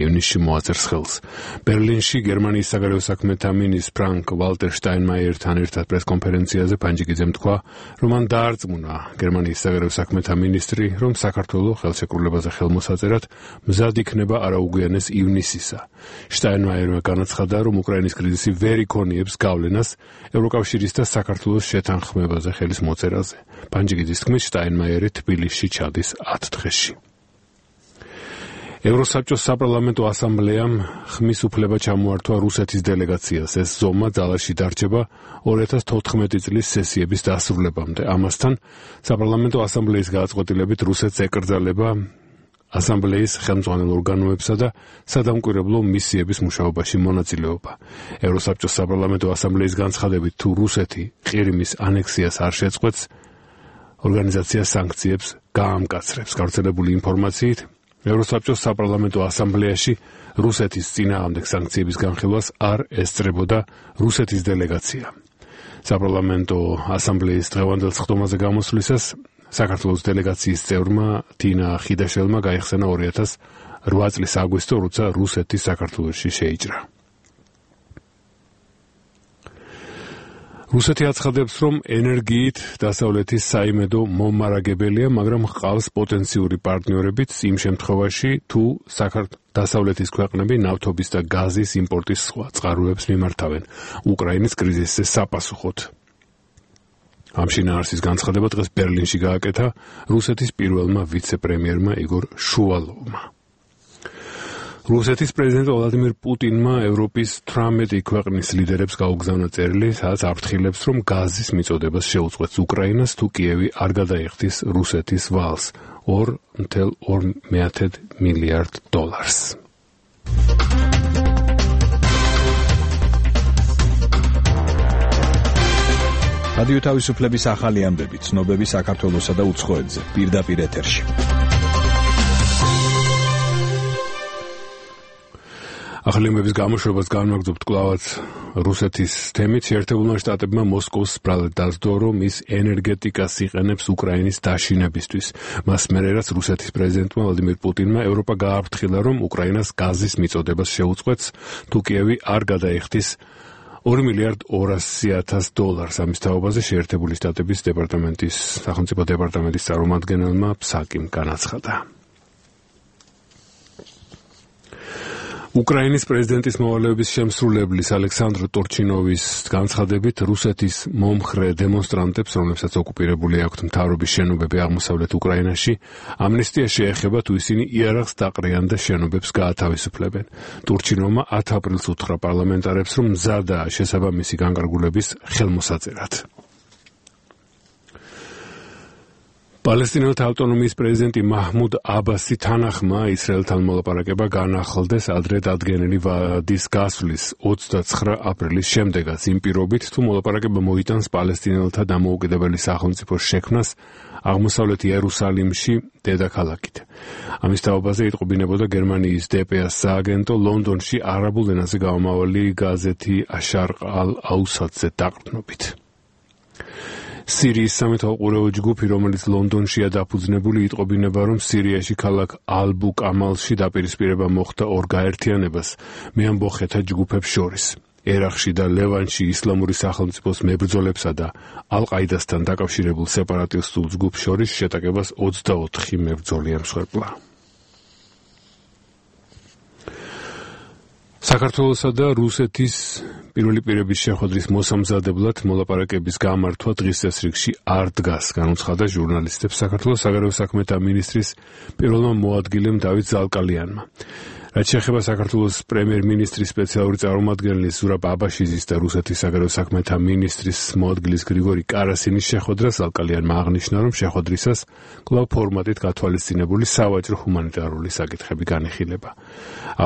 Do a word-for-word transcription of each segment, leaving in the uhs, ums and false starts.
ივნისში მოაწერს ხელს. ბერლინში გერმანიის საგარეო საქმეთა მინისტრ ფრანკ ვალტერ შტაინმაიერთან ერთად პრესკონფერენციაზე პანჯიკიძემ თქვა, რომ მან დაარწმუნა გერმანიის საგარეო საქმეთა მინისტრი, რომ საქართველო ხელშეკრულებაზე ხელმოსაწერად მზად იქნება არაუგვიანეს ივნისისა. შტაინმაიერმა განაცხადა, რომ უკრაინის კრიზისი ვერ იქონიებს გავლენას ევროკავშირის და საქართველოს შეთანხმებაზე ხელის მოწერაზე. პანჯიკიძის თქმით, შტაინმაიერი თბილისში ჩადის ათ დღეში. ევროსაბჭოს საპარლამენტო ასამბლეამ ხმის უფლება ჩამოართვა რუსეთის დელეგაციას. ეს ზომა ძალაში დარჩება ორი ათას თოთხმეტი წლის სესიების დასრულებამდე. ამასთან საპარლამენტო ასამბლეის გადაწყვეტილებით რუსეთს ეკრძალება ასამბლეის ხელმძღვანელ ორგანოებსა და სადამკვირვებლო მისიების მუშაობაში მონაწილეობა. ევროსაბჭოს საპარლამენტო ასამბლეის განცხადებით, თუ რუსეთი ყირიმის ანექსიას არ შეწყვეტს, ორგანიზაცია სანქციებს გაამკაცრებს. გავრცელებული ინფორმაციით, ევროსაბჭოს საპარლამენტო ასამბლეაში რუსეთის წინააღმდეგ სანქციების განხილვას არ ესწრებოდა რუსეთის დელეგაცია. საპარლამენტო ასამბლეის დღევანდელ სხდომაზე გამოსვლისას საქართველოს დელეგაციის წევრმა თინა ხიდაშელმა გაიხსენა ორი ათას რვა წლის აგვისტო, როცა რუსეთი საქართველოში შეიჭრა. რუსეთი აცხადებს, რომ ენერგიით დასავლეთის საიმედო მომარაგებელია, მაგრამ ჰყავს პოტენციური პარტნიორებიც იმ შემთხვევაში, თუ დასავლეთის ქვეყნები ნავთობის და გაზის იმპორტის სხვა წყაროებს მიმართავენ უკრაინის კრიზისზე საპასუხოდ. ამ შინაარსის განცხადება დღეს ბერლინში გააკეთა რუსეთის პირველმა ვიცე-პრემიერმა იგორ შუვალოვმა. რუსეთის პრეზიდენტ ვლადიმირ პუტინმა ევროპის თვრამეტი ქვეყნის ლიდერებს გაუგზავნა წერილი, სადაც აფრთხილებს, რომ გაზის მიწოდებას შეუწყვეტს უკრაინას, თუ კიევი არ გადაიხდის რუსეთის ვალს ორ ნახევარ ორ მილიარდ დოლარს. რადიო თავისუფლების ახალი ამბები, ცნობები საქართველოსა და უცხოეთზე, პირდაპირ ეთერში. ახალი ამბების გამოშვებას განვაგრძობთ კვლავაც რუსეთის თემით. შეერთებულმა შტატებმა მოსკოვს ბრალად დასდო, რომ ის ენერგეტიკას იყენებს უკრაინის დაშინებისთვის. მას მერე, რაც რუსეთის პრეზიდენტმა ვლადიმირ პუტინმა ევროპა გააფრთხილა, რომ უკრაინას გაზის მიწოდებას შეუწყვეტს, თუ კიევი არ გადაიხდის ორი მილიარდ ორასი ათას დოლარს. ამის თაობაზე შეერთებული შტატების დეპარტამენტის სახელმწიფო დეპარტამენტის წარმომადგენელმა ფსაკიმ განაცხადა. უკრაინის პრეზიდენტის მოვალეობის შემსრულებლის ალექსანდრ ტორჩინოვის განცხადებით, რუსეთის მომხრე დემონსტრანტებს, რომლებსაც ოკუპირებული აქვთ მთავრობის შენობები აღმოსავლეთ უკრაინაში, ამნისტია შეეხება, თუ ისინი იარაღს დაყრიან და შენობებს გაათავისუფლებენ. ტორჩინოვმა ათ აპრილს უთხრა პარლამენტარებს, რომ მზადაა შესაბამისი განკარგულების ხელმოსაწერად. პალესტინელთა ავტონომიის პრეზიდენტი მაჰმუდ აბასი თანახმა ისრაელთან მოლაპარაკება განახლდეს ადრე დადგენილი ვადის გასვლის ოცდაცხრა აპრილის შემდეგაც, იმ პირობით, თუ მოლაპარაკება მოიტანს პალესტინელთა დამოუკიდებელი სახელმწიფოს შექმნას აღმოსავლეთ იერუსალიმში, დედაქალაქით. ამის თაობაზე იტყობინებოდა გერმანიის დე პე ას სააგენტო ლონდონში არაბულ ენაზე გამომავალი გაზეთი აშარყ ალ-აუსადზე დაყრდნობით. სირიის სამეთვალყურეო ჯგუფი, რომელიც ლონდონშია დაფუძნებული, იტყობინება, რომ სირიაში ქალაქ ალბუკამალში დაპირისპირება მოხდა ორ გაერთიანებას მეამბოხეთა ჯგუფებს შორის. ერაყში და ლევანში ისლამური სახელმწიფოს მებრძოლებსა და ალ-ყაიდასთან დაკავშირებულ სეპარატისტულ ჯგუფს შორის შეტაკებას ოცდაოთხი მებრძოლი ემსხვერპლა. საქართველოსა და რუსეთის პირველი პირების შეხვედრის მოსამზადებლად მოლაპარაკების გამართვა დღის წესრიგში არ დგას, განუცხადა ჟურნალისტებს საქართველოს საგარეო საქმეთა მინისტრის პირველმა მოადგილემ დავით ზალკალიანმა. რაც შეეხება საქართველოს პრემიერ-მინისტრის სპეციალური წარმომადგენლის ზურაბ აბაშიძის და რუსეთის საგარეო საქმეთა მინისტრის მოადგილის გრიგორი კარასინის შეხვედრას, ზალკალიანმა აღნიშნა, რომ შეხვედრისას კვლავ ფორმატით გათვალისწინებული სავაჭრო ჰუმანიტარული საკითხები განიხილება.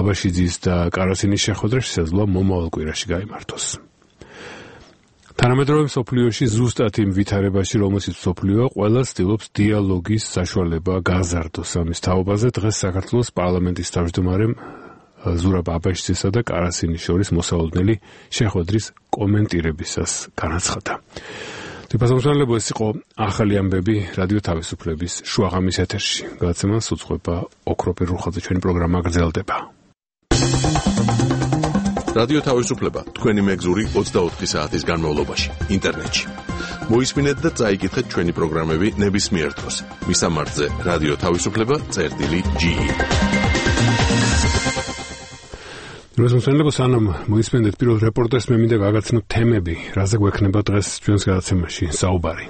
აბაშიძის და კარასინის შეხვედრა შესაძლოა მომავალ კვირაში გაიმართოს. თანამედროვე მსოფლიოში ზუსტად იმ ვითარებაში, რომელშიც მსოფლიოა, ყველა ცდილობს დიალოგის საშუალება გაზარდოს. ამის თაობაზე დღეს საქართველოს პარლამენტის თავმჯდომარემ ზურაბ აბაშიძისა და კარასინის შორის მოსავალდნელი შეხვედრის კომენტირებისას განაცხადა. თვითმფრინავებო, ეს იყო ახალი ამბები რადიო თავისუფლების შუაღამის ეთერში. გადაცემას უძღვება ოქროპირ რუხაძე, ჩვენი პროგრამა გრძელდება. რადიო თავისუფლება თქვენი მეგზური ოცდაოთხი საათის განმავლობაში ინტერნეტში. მოისმინეთ და წაიკითხეთ ჩვენი პროგრამები ნებისმიერ დროს. მისამართზე რადიო თავისუფლება წერტილი ჯი ი. რუსეთენლო სანამ მოისმინეთ პირველ რეპორტაჟს მე მინდა გაგაცნო თემები, რაზე გვექნება დღეს ჩვენს გადაცემაში საუბარი.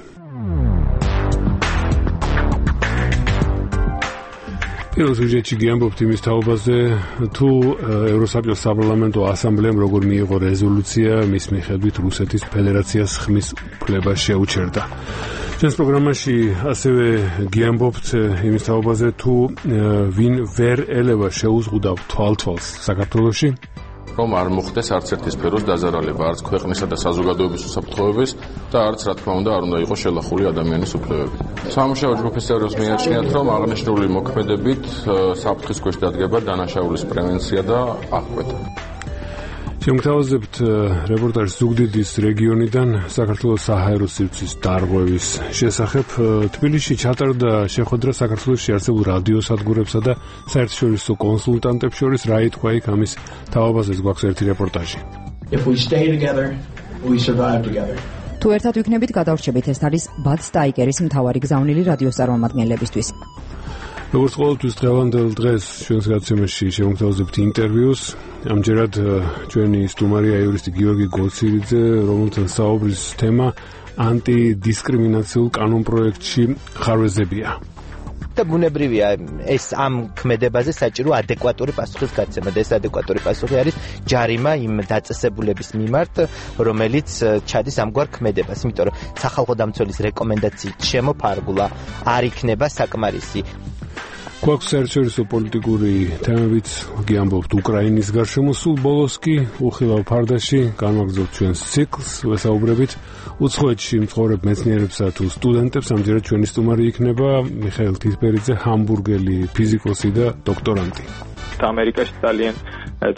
პირველ სიუჟეტში გიამბობთ იმის თაობაზე, თუ ევროსაბჭოს საპარლამენტო ასამბლეამ როგორ მიიღო რეზოლუცია, მის მიხედვით რუსეთის ფედერაციას ხმის უფლება შეუჩერდა. ჩვენს პროგრამაში ასევე გიამბობთ იმის თაობაზე, თუ ვინ ვერ ელევა შეუზღუდავ თვალთვალს საქართველოში, რომ არ მოხდეს არც ერთი სფეროს დაზარალება, არც ქვეყნისა და საზოგადოების უსაფრთხოების და არც რა თქმა უნდა არ უნდა იყოს შელახული ადამიანის უფლებები. სამუშაო ჯგუფის წევრებს მიაჩნიათ, რომ აღნიშნული მოქმედებით საფრთხის ქვეშ დადგება დანაშაულის პრევენცია და აღკვეთა. შემოგთავაზებთ რეპორტაჟს ზუგდიდის რეგიონიდან საქართველოს საჰაერო სივრცის დარღვევის შესახებ. თბილისში ჩატარდა შეხვედრა საქართველოში არსებულ რადიოსადგურებსა და საერთაშორისო კონსულტანტებს შორის. რა ითქვა იქ ამის თაობაზეც გვაქვს ერთი რეპორტაჟი. If we stay together, we survive together. თუ ერთად ვიქნებით, გადავრჩებით. ეს არის ბად სტაიკერის მთავარი გზავნილი რადიოს წარმომადგენლებისთვის. როგორც ყოველთვის დღევანდელ დღეს ჩვენს გადაცემაში შემოგთავაზებთ ინტერვიუს. ამჯერად ჩვენი სტუმარია იურისტი გიორგი გოცირიძე, რომელთან საუბრის თემა ანტიდისკრიმინაციულ კანონპროექტში ხარვეზებია. და ბუნებრივია ეს ამ ქმედებაზე საჭირო ადეკვატური პასუხის გაცემა და ეს ადეკვატური პასუხი არის ჯარიმა იმ დაწესებულების მიმართ, რომელიც ჩადის ამგვარ ქმედებას, იმიტომ რომ სახალხო დამცველის რეკომენდაციით შემოფარგულა არ იქნება საკმარისი. გვაქვს საერთაშორისო პოლიტიკური თემებიც, გიამბობთ უკრაინის გარშემო, სულ ბოლოს კი უხილავ ფარდაში განვაგრძობთ ჩვენს ციკლს, ვესაუბრებით უცხოეთში მცხოვრებ მეცნიერებსა თუ სტუდენტებს. ამჯერად ჩვენი სტუმარი იქნება მიხაილ თითბერიძე, ჰამბურგელი ფიზიკოსი და დოქტორანტი. ამერიკაში ძალიან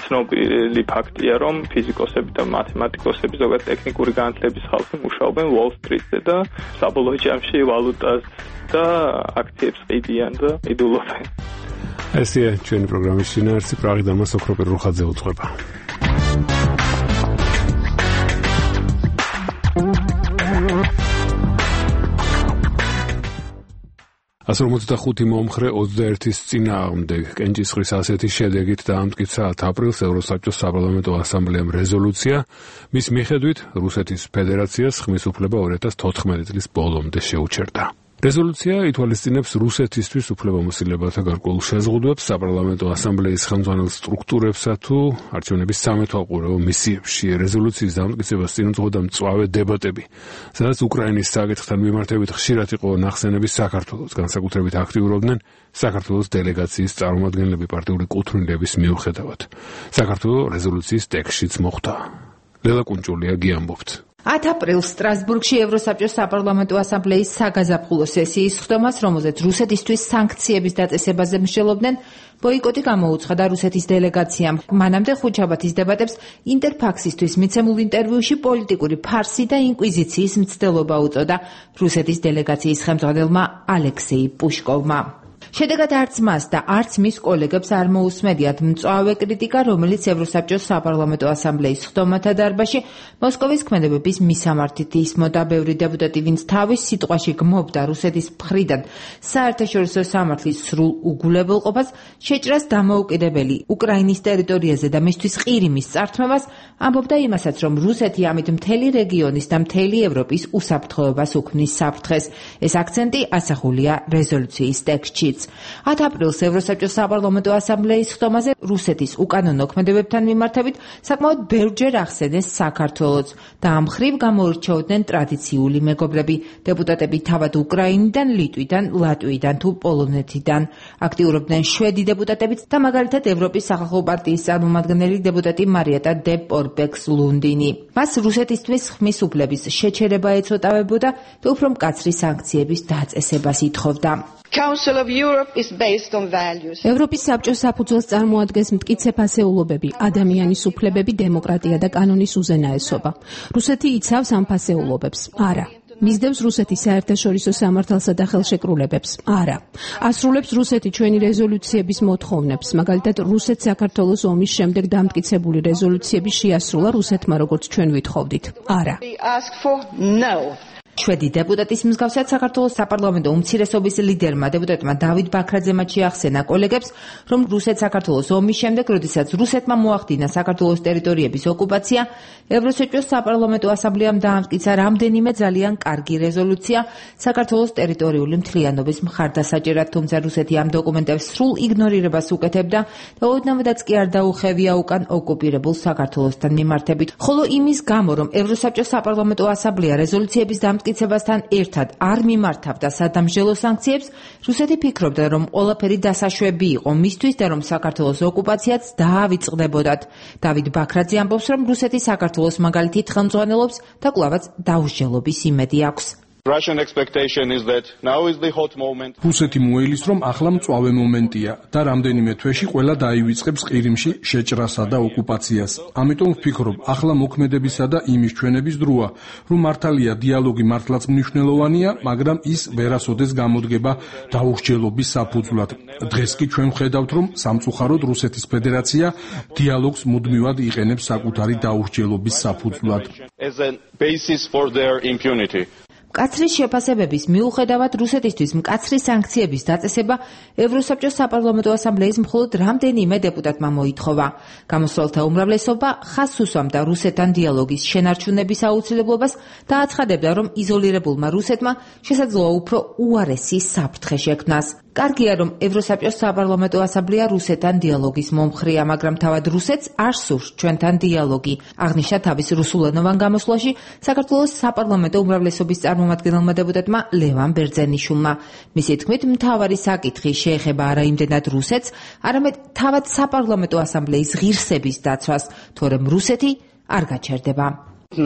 ცნობილი ფაქტია, რომ ფიზიკოსები და მათემატიკოსები, ზოგადად ტექნიკური განათლების ხალხი მუშაობენ Wall Street-ზე და საბოლოო ჯამში ვალუტას და აქციებს ყიდიან და იდულობენ. ესეა ჩვენი პროგრამის შინაარსი. პრაღიდან მას ოქროპერ რუხაძე უძღვება. ასი ორმოცდახუთი მომხრე ოცდაერთის წინააღმდეგ კენჭისყრის ასეთი შედეგით დაამტკიცა ათი აპრილს ევროსაბჭოს საპარლამენტო ასამბლეამ რეზოლუცია, მის მიხედვით რუსეთის ფედერაციას ხმის უფლება ორი ათას თოთხმეტი წლის ბოლომდე შეუჩერდა. რეზოლუცია ითვალისწინებს რუსეთისთვის უფლებამოსილებათა გარკვეულ შეზღუდვებს საპარლამენტო ასამბლეის ხელმძღვანელ სტრუქტურებსა თუ არჩევნების სამეთვალყურეო მისიებში. რეზოლუციის დამტკიცებას წინ უძღოდა მწვავე დებატები, სადაც უკრაინის საკითხთან მიმართებით ხშირად იყო ნახსენები საქართველოს, განსაკუთრებით აქტიურობდნენ საქართველოს დელეგაციის წარმომადგენლები პარტიული კუთვნილების მიუხედავად. საქართველოს რეზოლუციის ტექსტშიც მოხვდა. ლელა კუნჭულია გიამბობთ. ათი აპრილს სტრასბურგში ევროსაბჭოს საპარლამენტო ასამბლეის საგაზაფხულო სესიის ხდომას, რომელზეც რუსეთისთვის სანქციების დაწესებაზე მსჯელობდნენ, ბოიკოტი გამოუცხადა რუსეთის დელეგაციამ. მანამდე ხუთშაბათის დებატებს ინტერფაქსისთვის მიცემულ ინტერვიუში პოლიტიკური ფარსი და ინკვიზიციის მცდელობა უწოდა რუსეთის დელეგაციის ხელმძღვანელმა ალექსეი პუშკოვმა. შედეგად არც მას და არც მის კოლეგებს არ მოусმედიათ მწვავე კრიტიკა, რომელიც ევროსაბჭოს საპარლამენტო ასამბლეის ხდომათა დარბაზში მოსკოვის ქმედებების მისამართით ისმოდა. ბევრი დეპუტატი, ვინც თავის სიტყვაში გმობდა რუსეთის მხრიდან საერთაშორისო სამართლის სრულ უგულებელყოფას, შეჭრას დამოუკიდებელი უკრაინის ტერიტორიაზე და მისთვის ყირიმის წართმევას, ამბობდა იმასაც, რომ რუსეთი ამით მთელი რეგიონის და მთელი ევროპის უსაფრთხოებას უქმნის საფრთხეს. ეს აქცენტი ასახულია რეზოლუციის ტექსტში. ათი აპრილს ევროსაბჭოს საპარლამენტო ასამბლეის ხდომაზე რუსეთის უკანონო ქმედებებთან მიმართებით საკმაოდ ბევრჯერ ახსენეს საქართველოს და ამ მხრივ გამოირჩეოდნენ ტრადიციული მეგობრები. დეპუტატები თავად უკრაინიდან, ლიტვიდან, ლატვიიდან თუ პოლონეთიდან აქტიურობდნენ შვედი დეპუტატებიც და მაგალითად ევროპის სახალხო პარტიის წარმომადგენელი დეპუტატი მარიეტა დე პორბექს ლუნდინი. მას რუსეთისთვის ხმის უფლების შეჩერება ეწოდავებოდა და უფრო მკაცრი სანქციების დაწესებას ითხოვდა. ევროპის საბჭოს საფუძველს წარმოადგენს მტკიცე ფასეულობები, ადამიანის უფლებები, დემოკრატია და კანონის უზენაესობა. რუსეთი იცავს ამ ფასეულობებს? არა. მისდევს რუსეთის საერთაშორისო სამართალსა და ხელშეკრულებებს? არა. ასრულებს რუსეთი ჩვენი რეზოლუციების მოთხოვნებს, მაგალითად რუსეთ საქართველოს ომის შემდეგ დამტკიცებული რეზოლუციები შეასრულა რუსეთმა, როგორც ჩვენ ვითხოვდით? არა. შვედი დეპუტატის მსგავსად საქართველოს საპარლამენტო უმცირესობის ლიდერმა დეპუტატმა დავით ბაქრაძემ შეახსენა კოლეგებს, რომ რუსეთ-საქართველოს ომის შემდეგ, როდესაც რუსეთმა მოახდინა საქართველოს ტერიტორიების ოკუპაცია, ევროსაბჭოს საპარლამენტო ასამბლეამ დაამტკიცა რამდენიმე ძალიან კარგი რეზოლუცია საქართველოს ტერიტორიული მთლიანობის მხარდასაჭერად, თუმცა რუსეთი ამ დოკუმენტებს სრულ იგნორირებას უკეთებდა და ოდნავადაც კი არ დაუხევია უკან ოკუპირებულ საქართველოსთან მიმართებით. ხოლო იმის გამო, რომ ევროსაბჭოს საპარლამენტო ასამბლეა რეზოლუციების დამტკიცებასთან ერთად არ მიმართავდა სადამსჯელო სანქციებს, რუსეთი ფიქრობდა, რომ ყველაფერი დასაშვები იყო მისთვის და რომ საქართველოს ოკუპაციაც დაავიწყდებოდათ. დავით ბაქრაძე ამბობს, რომ რუსეთი საქართველოს მაგალითით ხელმძღვანელობს და კვლავაც დაუსჯელობის იმედი აქვს. რუსეთი მოელის, რომ ახლა მწვავე მომენტია და რამდენიმე თვეში ყველა დაივიწყებს ყირიმში შეჭრასა და ოკუპაციას. ამიტომ ვფიქრობ, ახლა მოქმედებისა და იმის ჩვენების დროა, რომ მართალია დიალოგი მართლაც მნიშვნელოვანია, მაგრამ ის ვერასოდეს გამოდგება დაუსჯელობის საფუძვლად. დღეს კი ჩვენ ვხედავთ, რომ სამწუხაროდ რუსეთის ფედერაცია დიალოგს მუდმივად იყენებს საკუთარი დაუსჯელობის საფუძვლად. მკაცრი შეფასებების მიუხედავად რუსეთისთვის მკაცრი სანქციების დაწესება ევროსაბჭოს საპარლამენტო ასამბლეის მხოლოდ რამდენიმე დეპუტატმა მოითხოვა. გამოსვლელთა უმრავლესობა ხაზს უსვამდა რუსეთთან დიალოგის შენარჩუნების აუცილებლობას და აცხადებდა, რომ იზოლირებულმა რუსეთმა შესაძლოა უფრო უარესი საფრთხე შექმნას. კარგია, რომ ევროსაბჭოს საპარლამენტო ასამბლეა რუსეთთან დიალოგის მომხრეა, მაგრამ თავად რუსეთს არ სურს ჩვენთან დიალოგი. აღნიშნა თავის რუსულენოვან გამოსვლაში საქართველოს საპარლამენტო უმრავლესობის წარმომადგენელმა დეპუტატმა ლევან ბერძენიშვილმა. მისი თქმით, მთავარი საკითხი შეეხება არა იმდენად რუსეთს, არამედ თავად საპარლამენტო ასამბლეის ღირსების დაცვას, თორემ რუსეთი არ გაჩერდება. ამ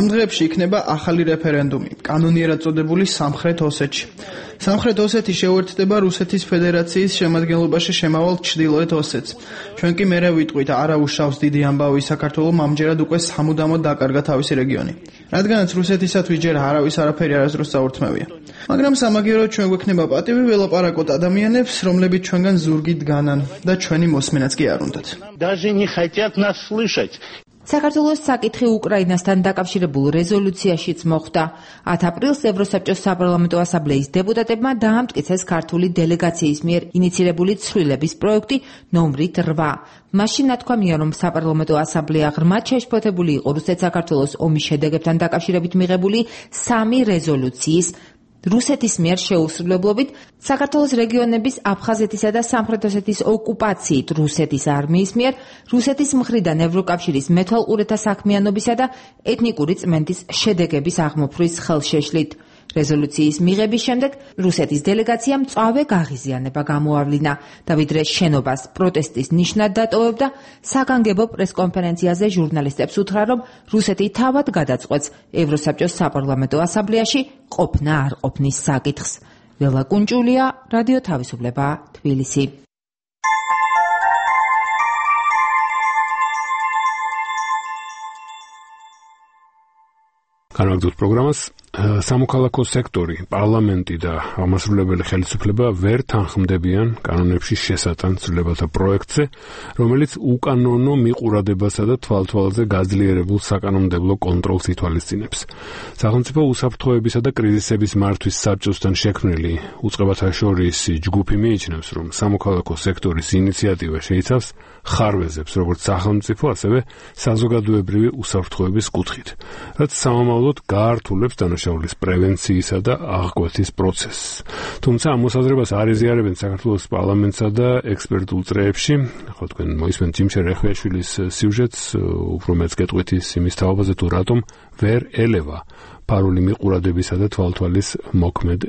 დღეებში იქნება ახალი რეფერენდუმი, კანონიერად წოდებული სამხრეთ ოსეთში. სამხრეთ ოსეთი შეუერთდება რუსეთის ფედერაციის შემადგენლობაში შემავალ ჩრდილოეთ ოსეთს. ჩვენ კი მერე ვიტყვით, არა უშავს დიდი ამბავი საქართველოს ამჯერად უკვე სამუდამოდ დაკარგა თავისი რეგიონი. რადგანაც რუსეთისათვის ჯერ არავის არაფერი არასდროს საურთმევია. მაგრამ სამაგიეროდ ჩვენ გვექნება პატივი ველაპარაკოთ ადამიანებს, რომლებიც ჩვენგან ზურგით განან და ჩვენი მოსმენაც კი არ უნდათ. საქართველოს საკითხი უკრაინასთან დაკავშირებულ რეზოლუციაშიც მოხვდა. ათი აპრილს ევროსაბჭოს საპარლამენტო ასამბლეის დეპუტატებმა დაამტკიცეს ქართული დელეგაციის მიერ ინიცირებული ცვლილების პროექტი ნომრით რვა. მაშინ ნათქვამია, რომ საპარლამენტო ასამბლეა ღრმად შეშფოთებული იყო რუსეთ-საქართველოს ომის შედეგებთან დაკავშირებით მიღებული სამი რეზოლუციის რუსეთის მიერ შეუსრულებლობით, საქართველოს რეგიონების აფხაზეთისა და სამხრეთ ოსეთის ოკუპაციით რუსეთის არმიის მიერ, რუსეთის მხრიდან ევროკავშირის მეთვალყურეთა საქმიანობისა და ეთნიკური წმენდის შედეგების აღმოფხვის ხელშეშლით. რეზოლუციის მიღების შემდეგ რუსეთის დელეგაციამ მწვავე გაღიზიანება გამოავლინა და ვიდრე შენობას პროტესტის ნიშნად დატოვებდა, საგანგებო პრესკონფერენციაზე ჟურნალისტებს უთხრა, რომ რუსეთი თავად გადაწყვეტს ევროსაბჭოს საპარლამენტო ასამბლეაში ყოფნა არ ყოფნის საკითხს. ველა კუნჭულია, რადიო თავისუფლება, თბილისი. განაგრძობთ პროგრამას. სამოქალაქო სექტორი, პარლამენტი და აღმასრულებელი ხელისუფლება ვერ თანხმდებიან კანონებში შესატან ცვლილებათა პროექტზე, რომელიც უკანონო მიყურადებასა და თვალთვალზე გაძლიერებულ საკანონმდებლო კონტროლს ითვალისწინებს. სახელმწიფო უსაფრთხოებისა და კრიზისების მართვის საბჭოსთან შექმნილი უწყებათა შორის ჯგუფი მიიჩნევს, რომ სამოქალაქო სექტორის ინიციატივა შეიცავს ხარვეზებს, როგორც სახელმწიფო, ასევე საზოგადოებრივი უსაფრთხოების კუთხით, რაც სამომავლოდ გაართულებს დანაშაულის პრევენციისა და აღკვეთის პროცესს. თუმცა ამ მოსაზრებას არ ეზიარებენ საქართველოს პარლამენტსა და ექსპერტულ წრეებში. ხო, თქვენ მოისმენთ ჯიმშე რეხვიაშვილის სიუჟეტს, უფრო მეც გეტყვით იმის თაობაზე, თუ რატომ ვერ ელევა ფარული მიყურადებისა და თვალთვალის მოქმედ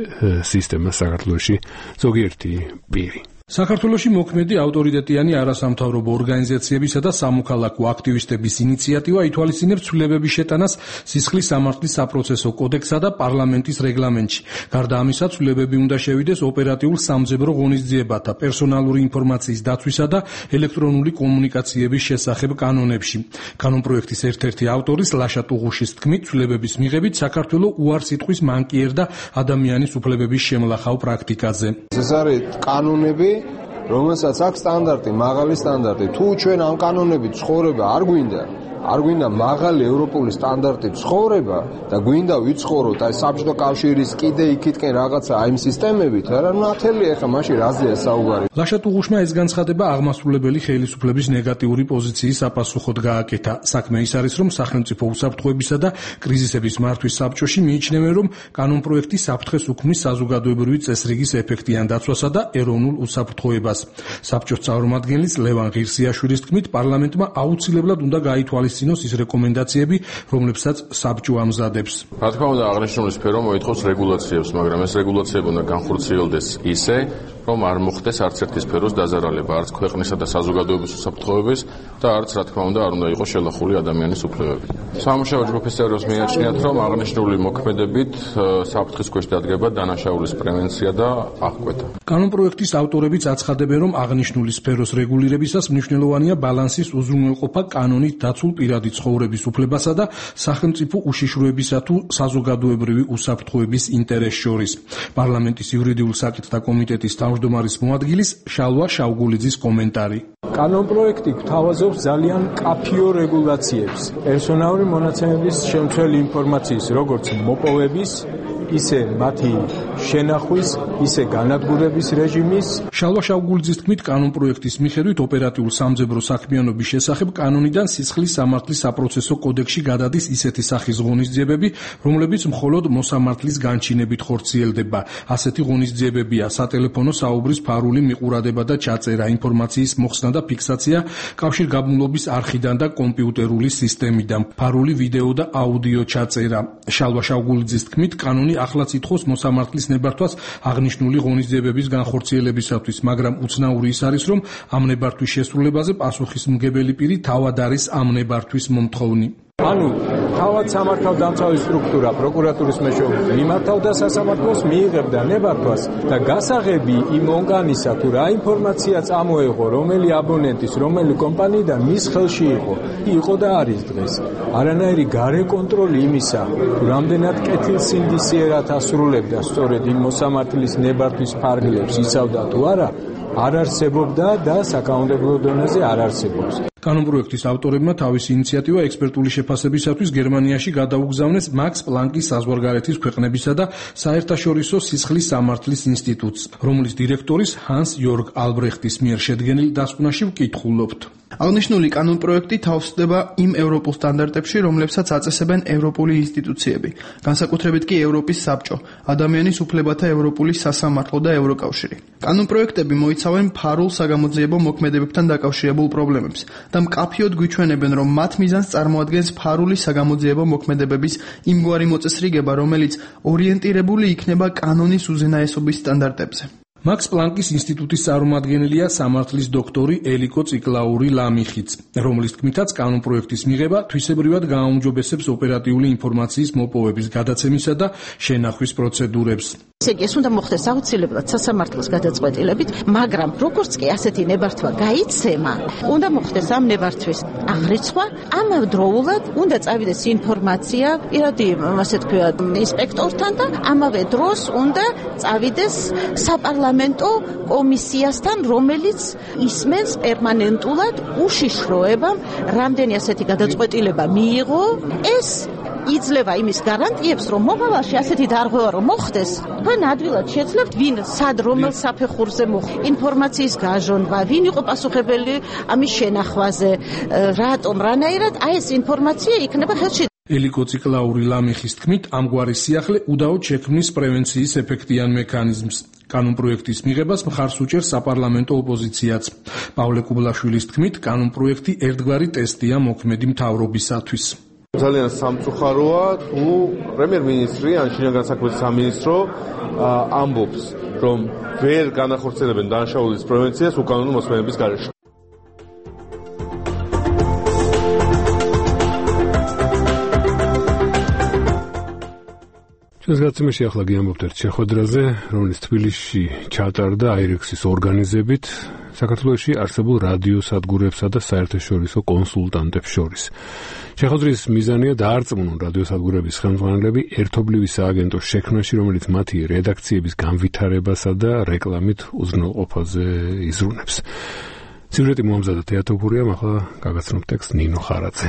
სისტემას საქართველოში ზოგიერთი პირი. საქართველოში მოქმედი ავტორიტეტიანი არასამთავრობო ორგანიზაციებისა და სამოქალაქო აქტივისტების ინიციატივა ითვალისწინებს ცვლილებების შეტანას სისხლის სამართლის საპროცესო კოდექსსა და პარლამენტის რეგლამენტში. გარდა ამისა, ცვლილებები უნდა შევიდეს ოპერატიულ სამძებრო ღონისძიებათა, პერსონალური ინფორმაციის დაცვისა და ელექტრონული კომუნიკაციების შესახებ კანონებში. კანონპროექტის ერთ-ერთი ავტორის ლაშა ტუღუშის თქმით, ცვლილებების მიღებით საქართველო უარს იტყვის მანკიერ და ადამიანის უფლებების შემლახავ პრაქტიკაზე. ეს არის კანონები, რომელსაც აქვს სტანდარტი, მაღალი სტანდარტი. თუ ჩვენ ამ კანონებით ცხოვრება არ გვინდა, არ გვინდა მაღალი ევროპული სტანდარტით ცხოვრება და გვინდა ვიცხოვროთ აი საბჭოთა კავშირის კიდე იქითკენ რაღაცა აი იმ სისტემებით, არა ნათელი ახლა მაშინ რაზეა საუბარი. ლაშა ტუღუშმა ეს განცხადება აღმასრულებელი ხელისუფლების ნეგატიური პოზიციის საპასუხოდ გააკეთა. საქმე ის არის, რომ სახელმწიფო უსაფრთხოებისა და კრიზისების მართვის საბჭოში მიიჩნევენ, რომ კანონპროექტი საფრთხეს უქმნის საზოგადოებრივი წესრიგის ეფექტიან დაცვასა და ეროვნულ უსაფრთხოებას. საბჭოს წარმომადგენლის ლევან ღირსიაშვილის თქმით, პარლამენტმა აუცილებლად უნდა გაითვალისწინოს ის რეკომენდაციები, რომლებსაც საბჭო ამზადებს. რა თქმა უნდა, აღნიშნული სფერო მოითხოვს რეგულაციებს, მაგრამ ეს რეგულაციები უნდა განხორციელდეს ისე, რომ არ მოხდეს არც ერთი სფეროს დაზარალება, არც ქვეყნისა და საზოგადოების უსაფრთხოების და არც, რა თქმა უნდა, არ უნდა იყოს შელახული ადამიანის უფლებები. სამუშაო ჯგუფის წევრებს მიაჩნიათ, რომ აღნიშნული მოქმედებით საფრთხის ქვეშ დადგება დანაშაულის პრევენცია და აღკვეთა. კანონპროექტის ავტორებიც აცხადებენ, რომ აღნიშნული სფეროს რეგულირებისას მნიშვნელოვანია ბალანსის უზრუნველყოფა კანონით დაცულ პირადი ცხოვრების უფლებასა და სახელმწიფო უშიშროებისა თუ საზოგადოებრივი უსაფრთხოების ინტერესს შორის. პარლამენტის იურიდიულ საკითხთა კომიტეტის თავმჯდომარის მოადგილის შალვა შავგულიძის კომენტარი. კანონპროექტი გვთავაზობს ძალიან კაფიო რეგულაციებს პერსონალური მონაცემების შემცველი ინფორმაციის როგორც მოპოვების, ისე მათი შენახვის, ისე განადგურების რეჟიმის. შალვა შავგულიძის თქმით, კანონპროექტის მიხედვით ოპერატიულ სამძებრო საქმიანობის შესახებ კანონიდან სისხლის სამართლის საპროცესო კოდექსში გადადის ისეთი სახის ღონისძიებები, რომლებიც მხოლოდ მოსამართლის განჩინებით ხორციელდება. ასეთი ღონისძიებებია სატელეფონო საუბრის ფარული მიყურადება და ჩაწერა, ინფორმაციის მოხსნა და ფიქსაცია კავშირგაბმულობის არხიდან და კომპიუტერული სისტემიდან, ფარული ვიდეო და აუდიო ჩაწერა. შალვა შავგულიძის თქმით, კანონი ახლაც ითხოვს მოსამართლის ნებართვას აღნიშნული ღონისძიებების განხორციელებისათვის, მაგრამ უცნაური ის არის, რომ ამ ნებართვის შესრულებაზე პასუხისმგებელი პირი თავად არის ამ ნებართვის მომთხოვნი. ანუ თავად სამართალდამცავი სტრუქტურა პროკურატურის მეშვეობით მიმართავდა სასამართლოს, მიიღებდა ნებართვას და გასაღები იმ ორგანისა თუ რა ინფორმაცია წამოეღო, რომელი აბონენტის, რომელი კომპანიიდან მის ხელში იყო, იყო და არის დღეს. არანაირი გარე კონტროლი იმისა, თუ რამდენად კეთილსინდისიერად ასრულებდა სწორედ იმ მოსამართლის ნებართვის ფარგლებს იცავდა თუ არა, არ არსებობდა და საკანონმდებლო დონეზე არ არსებობს. კანონპროექტის ავტორებმა თავისი ინიციატივა ექსპერტული შეფასებისათვის გერმანიაში გადაუგზავნეს მაქს პლანკის საზღვარგარეთის ქვეყნებისა და საერთაშორისო სისხლის სამართლის ინსტიტუტს, რომლის დირექტორის ჰანს იორგ ალბრეხტის მიერ შედგენილ დასკვნაში ვკითხულობთ. აღნიშნული კანონპროექტი თავსდება იმ ევროპულ სტანდარტებში, რომლებსაც აწესებენ ევროპული ინსტიტუციები, განსაკუთრებით კი ევროპის საბჭო, ადამიანის უფლებათა ევროპული სასამართლო და ევროკავშირი. კანონპროექტები მოიცავენ ფარულ საგამოძიებო მოქმედებებთან დაკავშირებულ პრობლემებს და მკაფიოდ გვიჩვენებენ, რომ მათ მიზანს წარმოადგენს ფარული საგამოძიებო მოქმედებების იმგვარი მოწესრიგება, რომელიც ორიენტირებული იქნება კანონის უზენაესობის სტანდარტებზე. მაქს პლანკის ინსტიტუტის წარმომადგენელია სამართლის დოქტორი ელიკო ციკლაური ლამიხიც, რომლის თქმითაც კანონპროექტის მიღება თვისებრივად გააუმჯობესებს ოპერატიული ინფორმაციის მოპოვების გადაცემისა და შენახვის პროცედურებს. ესე იგი, ეს უნდა მოხდეს აუცილებლად სასამართლოს გადაწყვეტილებით, მაგრამ როგორც კი ასეთი ნებართვა გაიცემა, უნდა მოხდეს ამ ნებართვის აღრიცხვა, ამავდროულად უნდა წავიდეს ინფორმაცია პირადი, ასე თქვათ, ინსპექტორთან და ამავე დროს უნდა წავიდეს საპარლამენტო კომისიასთან, რომელიც ისმენს პერმანენტულად უშიშროებამ, რამდენი ასეთი გადაწყვეტილება მიიღო, ეს იძლევა იმის გარანტიებს, რომ მომავალში ასეთი დარღვევა რომ მოხდეს, თქვენ ადვილად შეძლებთ, ვინ სად რომელ საფეხურზე მოხდა ინფორმაციის გაჟონვა, ვინ იყო პასუხებელი ამის შენახვაზე, რატომ, რანაირად აი ეს ინფორმაცია იქნება ხელში. ელიკო ციკლაური ლამიხის თქმით, ამგვარი სიახლე უდაოდ შექმნის პრევენციის ეფექტიან მექანიზმს. კანონპროექტის მიღებას მხარს უჭერს საპარლამენტო ოპოზიციაც. პავლე კუბლაშვილის თქმით, კანონპროექტი ერთგვარი ტესტია მოქმედი მთავრობისათვის. ძალიან სამწუხაროა, თუ პრემიერ-მინისტრი ან შინაგან საქმეთა სამინისტრო ამბობს რომ ვერ განახორციელებენ დანაშაულის პრევენციას უკანონო მოსმენების გარეშე. ეს გაცემაში ახლა გიამბობთ ერთ შეხვედრაზე, რომელიც თბილისში ჩატარდა აირექსის ორგანიზებით საქართველოში არსებულ რადიო სადგურებსა და საერთაშორისო კონსულტანტებს შორის. შეხვედრის მიზანია დაარწმუნონ რადიო სადგურების ხელმძღვანელები ერთობლივი სააგენტოს შექმნაში, რომელიც მათი რედაქციების განვითარებასა და რეკლამით უზრუნველყოფაზე იზრუნებს. სიუჟეტი მომზადა თეატოფურიამ, ახლა გაგაცნობ ტექსტს ნინო ხარაძე.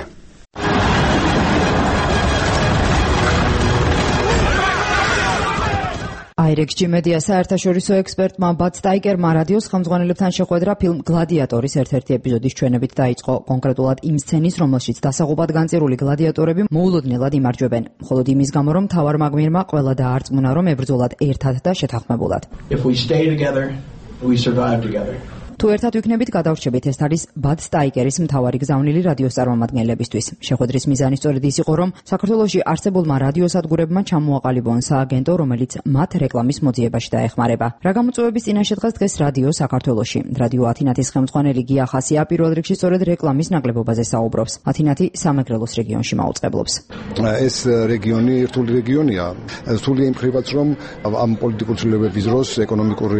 აირექსჯი მედია საერთაშორისო ექსპერტმა ბად სტაიკერმა რადიოს ხელმძღვანელებთან შეხვედრა ფილმ გლადიატორის ერთ-ერთი ეპიზოდის ჩვენებით დაიწყო. კონკრეტულად იმ სცენის, რომელშიც დასაღუპად განწირული გლადიატორები მოულოდნელად იმარჯვებენ, მხოლოდ იმის გამო, რომ მთავარ მაგმირმა ყველა დაარწმუნა, რომ ებრძოლათ ერთად და შეთანხმებულად. If we stay together, we survive together. თუ ერთად ვიქნებით, გადავრჩებით. ეს არის ბად სტაიკერის მთავარი გზავნილი რადიოს წარმომადგენლებისთვის. შეხვედრის მიზანი სწორედ ის იყო, რომ საქართველოში არსებულმა რადიოსადგურებმა ჩამოაყალიბონ სააგენტო, რომელიც მათ რეკლამის მოძიებაში დაეხმარება. რა გამოწვევების წინაშე დღეს დღეს რადიო საქართველოში. რადიო ათინათის ხელმძღვანელი გია ხასია პირველ რიგში სწორედ რეკლამის ნაკლებობაზე საუბრობს. ათინათი სამეგრელოს რეგიონში მაუწყებლობს. ეს რეგიონი რთული რეგიონია. რთულია იმ ხრივაც, რომ ამ პოლიტიკურ ცვლილებების დროს ეკონომიკური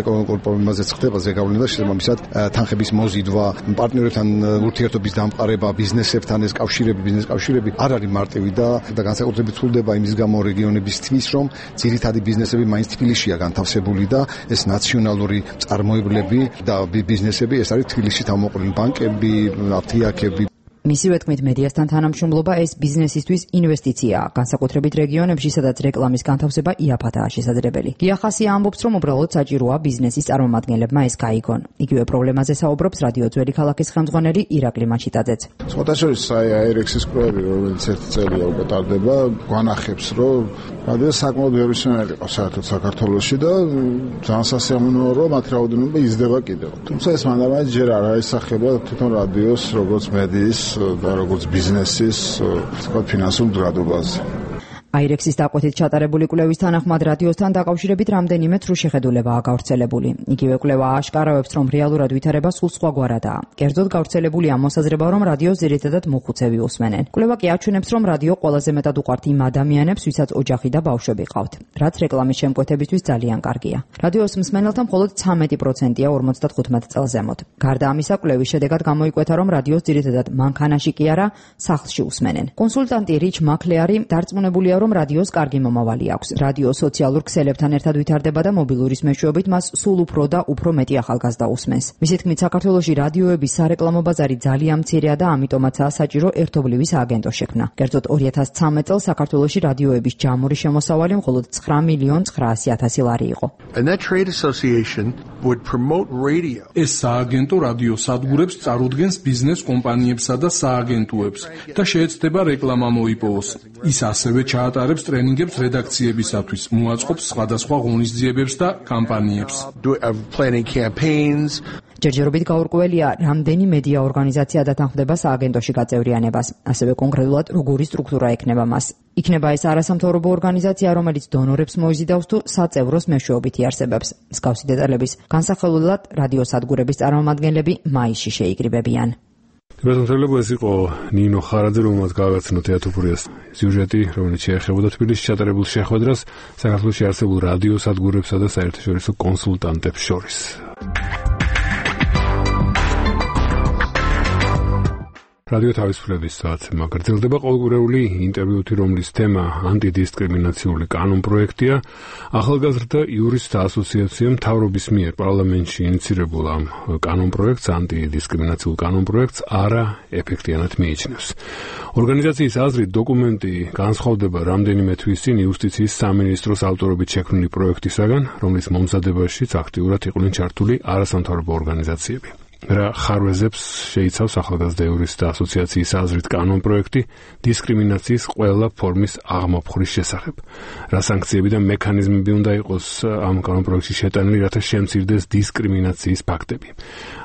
ეკონომიკურ პრობლემაზეც ხდება ზეგავლენა შესაბამისად თანხების მოზიდვა, პარტნიორებთან ურთიერთობის დამყარება, ბიზნესებთან ეს კავშირები, ბიზნეს კავშირები არ არის მარტივი და და განსაკუთრებით ცვლდება იმის გამო რეგიონებისთვის, რომ ძირითადი ბიზნესები მაინც თბილისშია განთავსებული და ეს ნაციონალური წარმოებლები და ბიზნესები ეს არის თბილისში თავმოყრილი ბანკები, აფთიაქები. მისივე თქმით, მედიასთან თანამშრომლობა ეს ბიზნესისთვის ინვესტიციაა, განსაკუთრებით რეგიონებში, სადაც რეკლამის განთავსება იაფადაა შესაძლებელი. გია ხასია ამბობს, რომ უბრალოდ საჭიროა ბიზნესის წარმომადგენლებმა ეს გაიგონ. იგივე პრობლემაზე საუბრობს რადიო ძველი ქალაქის ხელმძღვანელი ირაკლი მაჩიტაძეც. სხვადასხვა აირექსის კვლევები, რომელიც ერთი წელია უკვე ტარდება, გვანახებს, რომ რადიო საკმაოდ ბევრისმიერი იყო საერთოდ საქართველოში და ძალიან სასიამოვნოა, რომ მათი რაოდენობა იზრდება კიდევ. თუმცა ეს მანდამაინც ჯერ არ აისახება თვითონ რადიოს როგორც მედიის და როგორც ბიზნესის თქვა ფინანსურ მდგრადობაზე. აირექსის დაკვეთით ჩატარებული კვლევის თანახმად რადიოსთან დაკავშირებით რამდენიმე თრუ შეხედულებაა გავრცელებული. იგივე კვლევა აშკარავებს, რომ რეალურად ვითარება სულ სხვაგვარადაა. კერძოდ გავრცელებულია მოსაზრება, რომ რადიოს ძირითადად მოხუცები უსმენენ. კვლევა კი აჩვენებს, რომ რადიო ყველაზე მეტად უყვართ იმ ადამიანებს, ვისაც ოჯახი და ბავშვები ყავთ, რაც რეკლამის შემკვეთებისთვის ძალიან კარგია. რადიოს მსმენელთა მხოლოდ ცამეტი პროცენტია ორმოცდათხუთმეტ წელს ზემოთ. გარდა ამისა, კვლევის შედეგად გამოიკვეთა, რომ რადიოს ძირითადად მანქანაში კი არა, სახლში უსმენენ. კონსულტანტი რიჩ მაკლეარი დარწმუნებულია, რომ რადიოს კარგი მომავალი აქვს. რადიო სოციალურ ქსელებთან ერთად ვითარდება და მობილურის მეშვეობით მას სულ უფრო და უფრო მეტი ახალგაზრდა უსმენს. მისი თქმით, საქართველოში რადიოების სარეკლამო ბაზარი ძალიან მცირეა და ამიტომაცაა საჭირო ერთობლივი სააგენტოს შექმნა. კერძოდ ორი ათას ცხრამეტ წელს საქართველოში რადიოების ჯამური შემოსავალი მხოლოდ ცხრა მილიონ ცხრაასი ათასი ლარი იყო. ეს სააგენტო რადიო სადგურებს წარუდგენს ბიზნეს კომპანიებსა და სააგენტოებს და შეეცდება რეკლამა მოიპოვოს. ის ასევე ჩაატარებს ტრენინგებს რედაქციებისათვის, მოაწყობს სხვადასხვა ღონისძიებებს და კამპანიებს. ჯერჯერობით გაურკვეველია, რამდენი მედია ორგანიზაცია დათანხმდება სააგენტოში გაწევრიანებას, ასევე კონკრეტულად როგორი სტრუქტურა ექნება მას. იქნება ეს არასამთავრობო ორგანიზაცია, რომელიც დონორებს მოიზიდავს თუ საწევროს მეშვეობით იარსებებს. მსგავსი დეტალების განსახილველად რადიოსადგურების წარმომადგენლები მაისში შეიკრიბებიან. ბატონო, ეს იყო ნინო ხარაძე, რომელმაც გააგაცნო თეატოფურიას სიუჟეტი, რომელიც შეეხებოდა თბილისში ჩატარებულ შეხვედრას საქართველოში არსებულ რადიოსადგურებსა და საერთაშორისო კონსულტანტებს შორის. რადიო თავისუფლების საათმა გრძელდება ყოველკვირეული ინტერვიუთი, რომლის თემა ანტიდისკრიმინაციული კანონპროექტია. ახალგაზრდა იურისტთა ასოციაციამ მთავრობის მიერ პარლამენტში ინიცირებულ ამ კანონპროექტს, ანტიდისკრიმინაციულ კანონპროექტს არა ეფექტიანად მიიჩნევს. ორგანიზაციის აზრით, დოკუმენტი განსხვავდება რამდენიმე თვის წინ იუსტიციის სამინისტროს ავტორობით შექმნილი პროექტისაგან, რომლის მომზადებაშიც აქტიურად იყვნენ ჩართული არასამთავრობო ორგანიზაციები. რა ხარვეზებს შეიცავს ახალგაზრდა იურისტთა ასოციაციის აზრით კანონპროექტი დისკრიმინაციის ყველა ფორმის აღმოფხვრის შესახებ. რა სანქციები და მექანიზმები უნდა იყოს ამ კანონპროექტში შეტანილი, რათა შემცირდეს დისკრიმინაციის ფაქტები.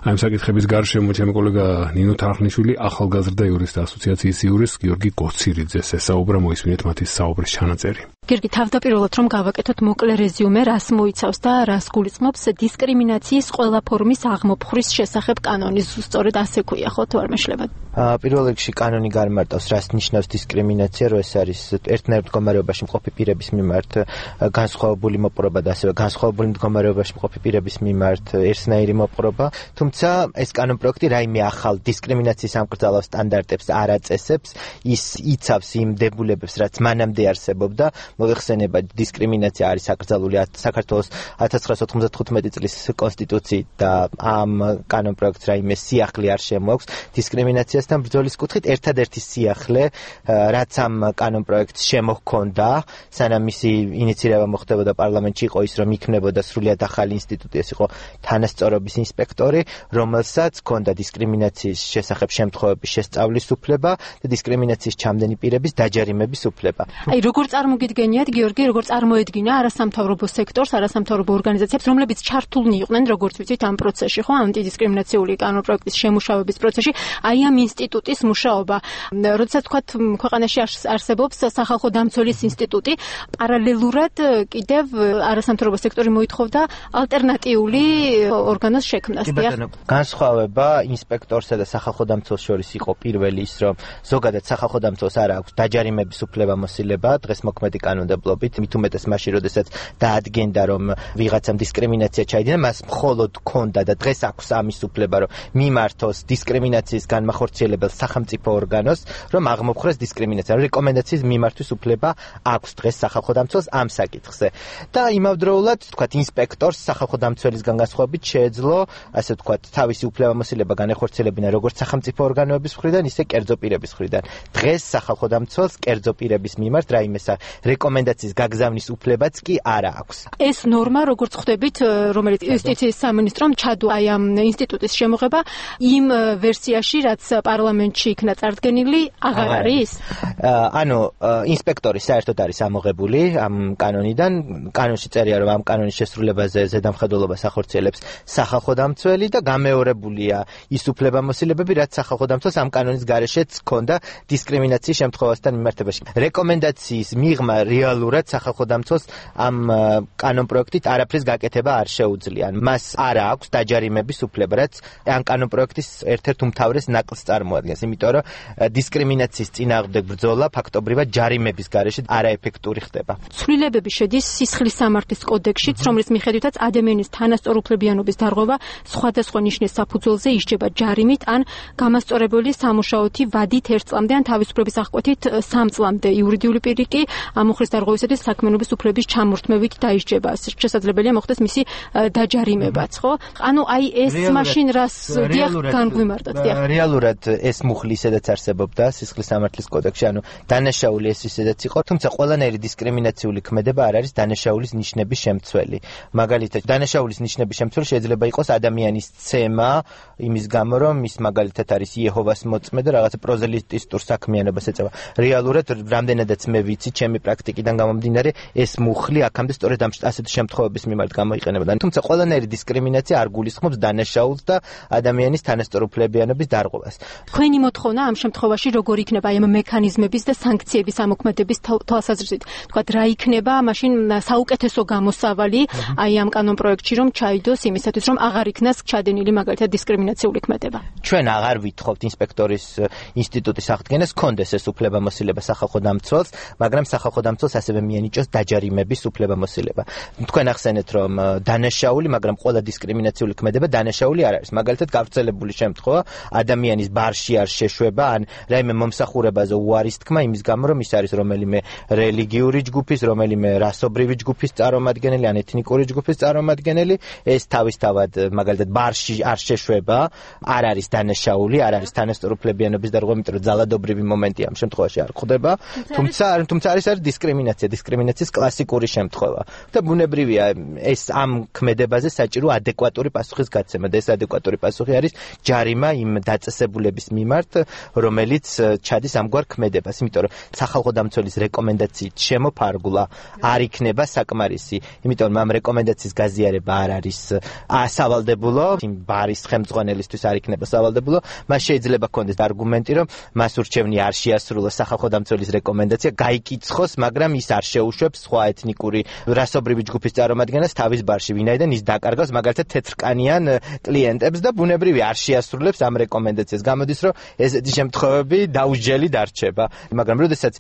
ამ საკითხების გარშემო ჩემი კოლეგა ნინო თარხნიშვილი ახალგაზრდა იურისტთა ასოციაციის იურისტ გიორგი გოცირიძეს ესაუბრა, მოისმინეთ მათი საუბრის ჩანაწერი. გერგი, თავდაპირველად რომ გავაკეთოთ მოკლე რეზიუმე, რას მოიცავს და რას გულისხმობს დისკრიმინაციის ყველა ფორმის აღმოფხვრის შესახებ კანონი, სწორედ ასე ქვია, ხო, თუ არ მეშლება? პირველ რიგში კანონი გარემართავს, რას ნიშნავს დისკრიმინაცია, რო ეს არის ერთნაირ მდგომარეობაში მყოფი პირების მიმართ განსხვავებული მოპყრობა და ასევე განსხვავებული მდგომარეობაში მყოფი პირების მიმართ ერთნაირი მოპყრობა, თუმცა ეს კანონპროექტი რაიმე ახალ დისკრიმინაციის ამკრძალავ სტანდარტებს არ აწესებს, ის იცავს იმ დებულებებს, რაც მანამდე არსებობდა. მოიხსენება დისკრიმინაცია არის აკრძალული საქართველოს ათას ცხრაასი ოთხმოცდათხუთმეტი წლის კონსტიტუციით და ამ კანონპროექტს რაიმე სიახლე არ შემოაქვს დისკრიმინაციასთან ბრძოლის კუთხით. ერთადერთი სიახლე, რაც ამ კანონპროექტს შემოჰქონდა, სანამ მისი ინიციირება მოხდებოდა პარლამენტში, იყო ის, რომ იქნებოდა სრულიად ახალი ინსტიტუტი, ეს იყო თანასწორობის ინსპექტორი, რომელსაც ჰქონდა დისკრიმინაციის შესახებ შემთხვევების შესწავლის უფლება და დისკრიმინაციის ჩამდენი პირების დაჯარიმების უფლება. აი, როგორ წარმოგიდგენიათ, გიორგი, როგორ წარმოედგინა არასამთავრობო სექტორს, არასამთავრობო ორგანიზაციებს, რომლებიც ჩართულნი იყვნენ, როგორც ვიცით, ამ პროცესში, ხო, ანტიდისკრიმინაციული კანონპროექტის შემუშავების პროცესში, აი ამ ინსტიტუტის მუშაობა. როდესაც თქვათ, ქვეყანაში არსებობს სახალხო დამცველის ინსტიტუტი, პარალელურად კიდევ არასამთავრობო სექტორი მოითხოვდა ალტერნატიული ორგანოს შექმნას. განსხვავება ინსპექტორსა და სახალხო დამცველს შორის იყო პირველი ის, რომ ზოგადად სახალხო დამცველს არ აქვს დაჯარიმების უფლება მოსილება დღეს მოქმედი კანონმდებლობით, მით უმეტეს მაშინ, როდესაც დაადგენდა, რომ ვიღაცამ დისკრიმინაცია ჩაიდინა, მას მხოლოდ ჰქონდა და დღეს აქვს ამის უფლება, რომ მიმართოს დისკრიმინაციის განმახორციელებელ სახელმწიფო ორგანოს, რომ აღმოფხვრეს დისკრიმინაცია. რეკომენდაციის მიმართვის უფლება აქვს დღეს სახალხო დამცველს ამ საკითხზე. და იმავდროულად, თქვათ, ინსპექტორს სახალხო დამცველისგან განსხვავებით შეეძლო, ასე თქვათ, თავისი უფლებამოსილება განეხორციელებინა როგორც სახელმწიფო ორგანოების მხრიდან, ისე კერძო პირების მხრიდან. დღეს სახალხო დამცველს კერძო პირების მიმართ რაიმე რეკომენდაციის გაგზავნის უფლებაც კი არა აქვს. ეს ნორმა, როგორც ხვდებით, რომელიც იუსტიციის სამინისტრომ ჩადო აი ამ ინსტიტუტის შემოღება იმ ვერსიაში, რაც პარლამენტში იქნა წარდგენილი, აღარ არის? ანუ ინსპექტორი საერთოდ არის ამოღებული ამ კანონიდან. კანონში წერია, რომ ამ კანონის შესრულებაზე ზედამხედველობას ახორციელებს სახალხო დამცველი და გამეორებულია ის უფლებამოსილებები, რაც სახალხო დამცველს ამ კანონის გარეშეც ჰქონდა დისკრიმინაციის შემთხვევასთან მიმართებაში. რეკომენდაციის მიღმა რეალურად სახალხო დამცველს ამ კანონპროექტით არაფრის გაკეთება არ შეუძლია. მას არ აქვს დაჯარიმების უფლება, რაც ამ კანონპროექტის ერთ-ერთ უმთავრეს ნაკლს წარმოადგენს, იმიტომ რომ დისკრიმინაციის წინააღმდეგ ბრძოლა ფაქტობრივად ჯარიმების გარეშე არაეფექტური ხდება. ცვლილებები შედის სისხლის სამართლის კოდექსშიც, რომლის მიხედვითაც ადამიანის თანასწორუფლებიანობის დარღვევა სხვადასხვა ნიშნის საფუძველზე ისჯება ჯარიმით ან გამასწორებელი სამუშაოთი ვადით ერთ წლამდე ან თავისუფლების აღკვეთით სამ წლამდე. იურიდიული პირი კი ამ უხრის დარღვევისათვის საქმიანობის უფლების ჩამორთმევით დაისჯება. შესაძლებელია მოხდეს მისი დაჯარიმებაც, ხო? ანუ აი ეს მაშინ რას დიახ განგვიმარტოთ, დიახ. რეალურად ეს მუხლი ისედაც არსებობდა სისხლის სამართლის კოდექსში, ანუ დანაშაული ეს ისედაც იყო, თუმცა ყველანაირი დისკრიმინაციული ქმედება არ არის დანაშაულის ნიშნების შემცველი. მაგალითად, დანაშაულის ნიშნების შემცველი შეიძლება იყოს ადამიანის ცემა, იმის გამო, რომ ის მაგალითად არის იეჰოვას მოწმე და რაღაცა პროზელიტისტურ საქმიანობას ეწევა. რეალურად რამდენადაც მე ვიცი, ჩემი პრაქტიკიდან გამომდინარე, ეს მუხლი აქამდე სწორედ ამ ასეთი შემთხვევების მიმართ გამოიყენებოდა. თუმცა ყველანაირი დისკრიმინაცია არ გულისხმობს დანაშაულს და ადამიანის თანასწორუფლებიანობის დარღვევას. თქვენი მოთხოვნა ამ შემთხვევაში როგორ იქნება აი ამ მექანიზმების და სანქციების ამოქმედების თვალსაზრისით? თქვათ, რა იქნება მაშინ საუკეთესო გამოსავალი აი ამ კანონპროექტში, რომ ჩაიდოს იმისათვის, რომ აღარ იქნას ჩადენილი მაგალითად დისკრიმინაციული ქმედება? ჩვენ აღარ ვითხოვთ ინსპექტორის ინსტიტუტის აღდგენას, კონდეს ეს უფლებამოსილება სახალხო დამცველს, მაგრამ სახალხო დამცველს ასევე მიენიჭოს დაჯარიმების უფლებამოსილება. თქვენ ახსენეთ, რომ დანაშაული, მაგრამ ყველა დისკრიმინაციული ქმედება დანაშაული არ არის. მაგალითად, გავრცელებული შემთხვევა ადამიანის ბარში არ შეშვება, ან რაიმე მომსახურებაზე უარის თქმა იმის გამო, რომ ის არის რომელიმე რელიგიური ჯგუფის, რომელიმე რასობრივი ჯგუფის წარმომადგენელი, ან ეთნიკური ჯგუფის წარმომადგენელი, ეს თავისთავად მაგალითად ბარში არ შეშვება, არ არის დანაშაული, არ არის თანასწორუფლებიანობის დარღვევა, იმიტომ რომ ძალადობრივი მომენტი ამ შემთხვევაში არ ხდება, თუმცა თუმცა არის არის დისკრიმინაცია, დისკრიმინაციის კლასიკური შემთხვევა. და ბუნებრივია ეს ამ ქმედებაზე საჭირო ადეკვატური პასუხის გაცემა და ეს ადეკვატური პასუხი არის ჯარიმა იმ დაწესებულების მიმართ, რომელიც ჩადის ამგვარ ქმედებას, იმიტომ რომ სახალხო დამცველის რეკომენდაციით შემოფარგლა არ იქნება საკმარისი, იმიტომ რომ ამ რეკომენდაციის გაზიარება არ არის სავალდებულო, იმ ბარის ხელმძღვანელისთვის არ იქნება სავალდებულო, მას შეიძლება ჰქონდეს არგუმენტი, რომ მას ურჩევნია არ შეასრულოს სახალხო დამცველის რეკომენდაცია, გაიკიცხოს, მაგრამ ის არ შეუშვებს სხვა ეთნიკური რასობრივი ჯგუფის წარმომადგენლებს თავის ბარში, ვინაიდან ის დაკარგავს მაგალითად თეთრკანიან კლიენტებს და ბუნებრივი არ შეასრულებს ამ რეკომენდაციას. გამოდის, რომ ესეთი შემთხვევები დაუსჯელი დარჩება. მაგრამ როდესაც